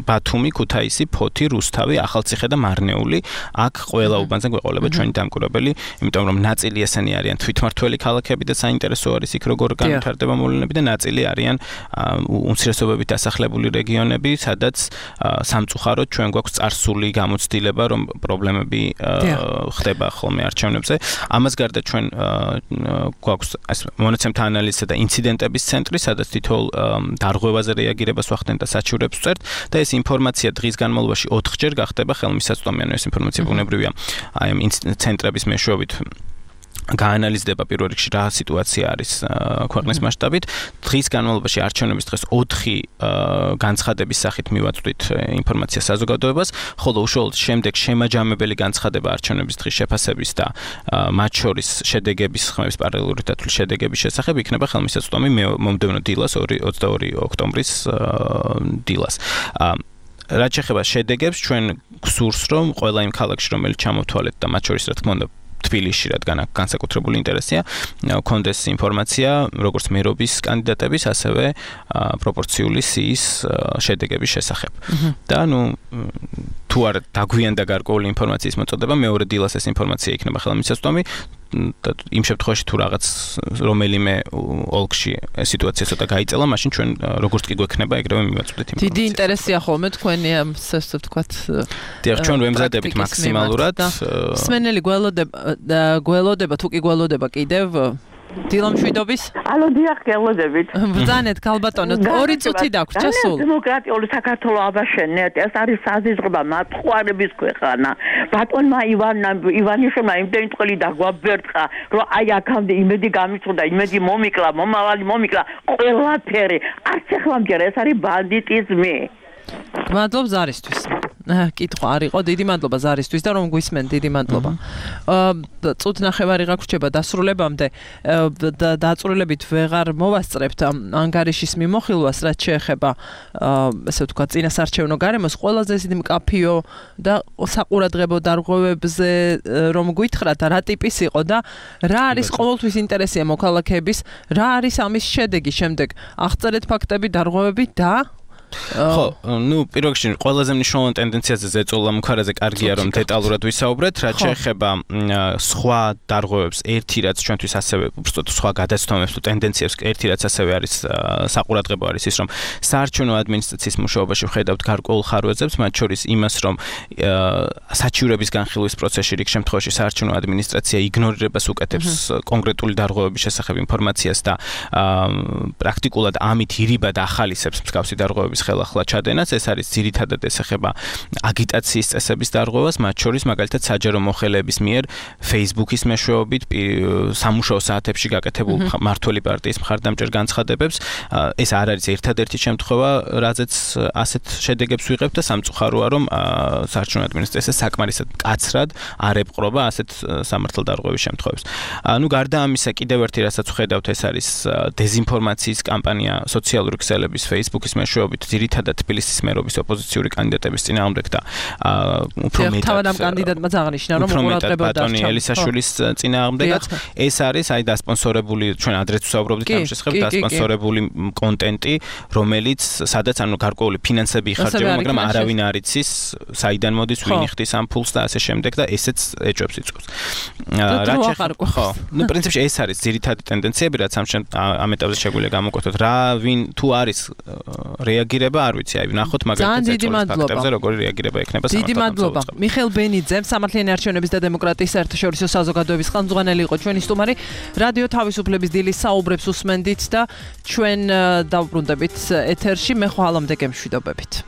ბათუმი, ქუთაისი, ფოთი, რუსთავი, ახალციხე და მარნეული. აქ ყველა უბანზე გვეყოლება ჩვენი დამკვირვებელი, იმიტომ რომ ნაწილი ესენი არიან თვითმმართველი ქალაქები და საინტერესო არის იქ როგორ განვითარდება მოვლენები და ნაწილი არიან უმცირესობებით დასახლებული რეგიონები, სადაც სამწუხაროდ ჩვენ გვაქვს წარსული გამოცდილება, რომ პრობლემები ხდება ხოლმე არჩევნებზე. ამას გარდა ჩვენ გვაქვს მონაცემთა ანალიზისა და ინციდენტების ცენტრი, სადაც თითოეულ დარღვევაზე რეაგირებას ვახდენთ და საჩივრებს ვწერთ და ეს ინფორმაცია დღის განმავლობაში ოთხჯერ გახდება ხელმისაწვდომი, ანუ ეს ინფორმაცია ბუნებრივია აი ამ ცენტრების მეშვეობით გაანალიზდება პირველ რიგში რა სიტუაცია არის ქვეყნის მასშტაბით. დღის განმავლობაში არჩევნების დღეს ოთხი განცხადების სახით მივაწვდით ინფორმაცია საზოგადოებას, ხოლო უშუალოდ შემდეგ შემაჯამებელი განცხადება არჩევნების დღის შეფასების და მათ შორის შედეგების ხმების პარალელური დათვლის შედეგების შესახებ იქნება ხელმისაწვდომი მომდევნო დილას ოცდაორი ოქტომბრის დილას. რაც შეეხება შედეგებს, ჩვენ გვსურს რომ ყველა იმ ქალაქში რომელიც ჩამოვთვალეთ და მათ შორის რა თქმა უნდა თბილისში, რადგან აქ განსაკუთრებული ინტერესია, კონდეს ინფორმაცია როგორც მერობის კანდიდატების, ასევე პროპორციული სიის შედეგების შესახებ. და ნუ თუ არ დაგვიანდა გარკვეული ინფორმაციის მოწოდება, მეორე დილას ეს ინფორმაცია იქნება ხელმისაწვდომი და იმ შემთხვევაში თუ რაღაც რომელიმე ოლქში სიტუაცია ცოტა გაიწელა, მაშინ ჩვენ როგორც კი გვექნება ეგრევე მივაწვდით ინფორმაციას. დიდი ინტერესია ხოლმე თქვენი ამ ასე ვთქვათ. დიახ, ჩვენ ვემზადებით მაქსიმალურად. მსმენელი გველოდება გველოდება თუ კი გველოდება კიდევ დილამშვიდობის? ალო, დიახ, გველოდებით. ბრძანეთ ქალბატონო, ორი წუთი დაგვრჩა სულ. დემოკრატიული საქართველოს აბაშენეთ, ეს არის საზიზღება მათხვარების ქვეყანა. ბატონმა ივანმა ივანიშვილმა იმდენი წელი დაგვაბერტყა, რომ აი აქამდე იმედი გამიწვდა, იმედი მომიკლა, მომავალი მომიკლა, ყველაფერი. არც ეხლამჯერ ეს არის ბანდიტიზმი. გმადლობ ზარისთვის. კითხვა არ იყო, დიდი მადლობა ზარისთვის და რომ გვისმენ, დიდი მადლობა. წუთ ნახევარი გაგვრჩება დასრულებამდე და დაწვრილებით ვეღარ მოვასწრებთ ანგარიშის მიმოხილვას, რაც შეეხება ესე ვთქვათ წინასარჩევნო გარემოს, ყველაზე ისეთი მკაფიო და საყურადღებო დარღვევებზე რომ გითხრათ რა ტიპის იყო და რა არის ყოველთვის ინტერესია მოქალაქეების, რა არის ამის შედეგი შემდეგ. აღწერეთ ფაქტები, დარღვევები და ხო, ну, პირველ რიგში ყველაზე მნიშვნელოვანი ტენდენციაზე ზეწოლა მუქარაზე კარგია რომ დეტალურად ვისაუბრეთ, რაც შეეხება სხვა დარღვევებს, ერთი რაც ჩვენთვის ასევე უბრალოდ სხვა გადაცდომებს თუ ტენდენციებს, ერთი რაც ასევე არის საყურადღებო არის ის რომ საარჩევნო ადმინისტრაციის მუშაობაში ვხედავთ გარკვეულ ხარვეზებს, მათ შორის იმას რომ საჩივრების განხილვის პროცესში რიგ შემთხვევაში საარჩევნო ადმინისტრაცია იგნორირებას უკეთებს კონკრეტული დარღვევების შესახებ ინფორმაციას და პრაქტიკულად ამით ირიბად ახალისებს მსგავსი დარღვევების ხელახლა ჩადენას. ეს არის ძირითადად ესახება აგიტაციის წესების დარღვევას, მათ შორის მაგალითად საჯარო მოხელეების მიერ Facebook-ის მეშვეობით სამუშაო საათებში გაკეთებულ მმართველი პარტიის მხარდამჭერ განცხადებებს. ეს არ არის ერთადერთი შემთხვევა, რაზეც ასეთ შედეგებს ვიღებთ და სამწუხაროა რომ საარჩევნო ადმინისტრაცია საკმარისად მკაცრად არ ეპყრობა ასეთ სამართალდარღვევის შემთხვევებს. ну გარდა ამისა კიდევ ერთი რასაც ვხედავთ ეს არის დეზინფორმაციის კამპანია სოციალური ქსელების Facebook-ის მეშვეობით ძირითადად თბილისის მერობის ოპოზიციური კანდიდატების წინააღმდეგ და უფრო მეტად თავად ამ კანდიდატმა აღნიშნა რომ უყურადღება ბატონი ელისაშვილის წინააღმდეგაც ეს არის აი დასპონსორებული ჩვენ ადრეც ვსაუბრობდით ამ შესახებ დასპონსორებული კონტენტი რომელიც სადაც ანუ გარკვეული ფინანსები იხარჯება მაგრამ არავინ არ იცის საიდან მოდის ვინ იხდის ამ ფულს და ასე შემდეგ და ესეც ეჭვებს იწვევს რაც შეეხება ხო ну პრინციპში ეს არის ძირითადი ტენდენციები რაც ამ ეტაპზე შეგვიძლია გამოკვეთოთ რა ვინ თუ არის რეაგირება არ ვიცი აი ნახოთ მაგალითად ეწოლის ფაქტებზე როგორი რეაგირება ექნება დიდი მადლობა მიხეილ ბენიძემ სამართლიანი არჩევნების და დემოკრატიის საერთაშორისო საზოგადოების ხელმძღვანელი იყო ჩვენი სტუმარი რადიო თავისუფლების დილის საუბრებს უსმენდით და ჩვენ დავბრუნდებით ეთერში მე ხვალამდე გემშვიდობებით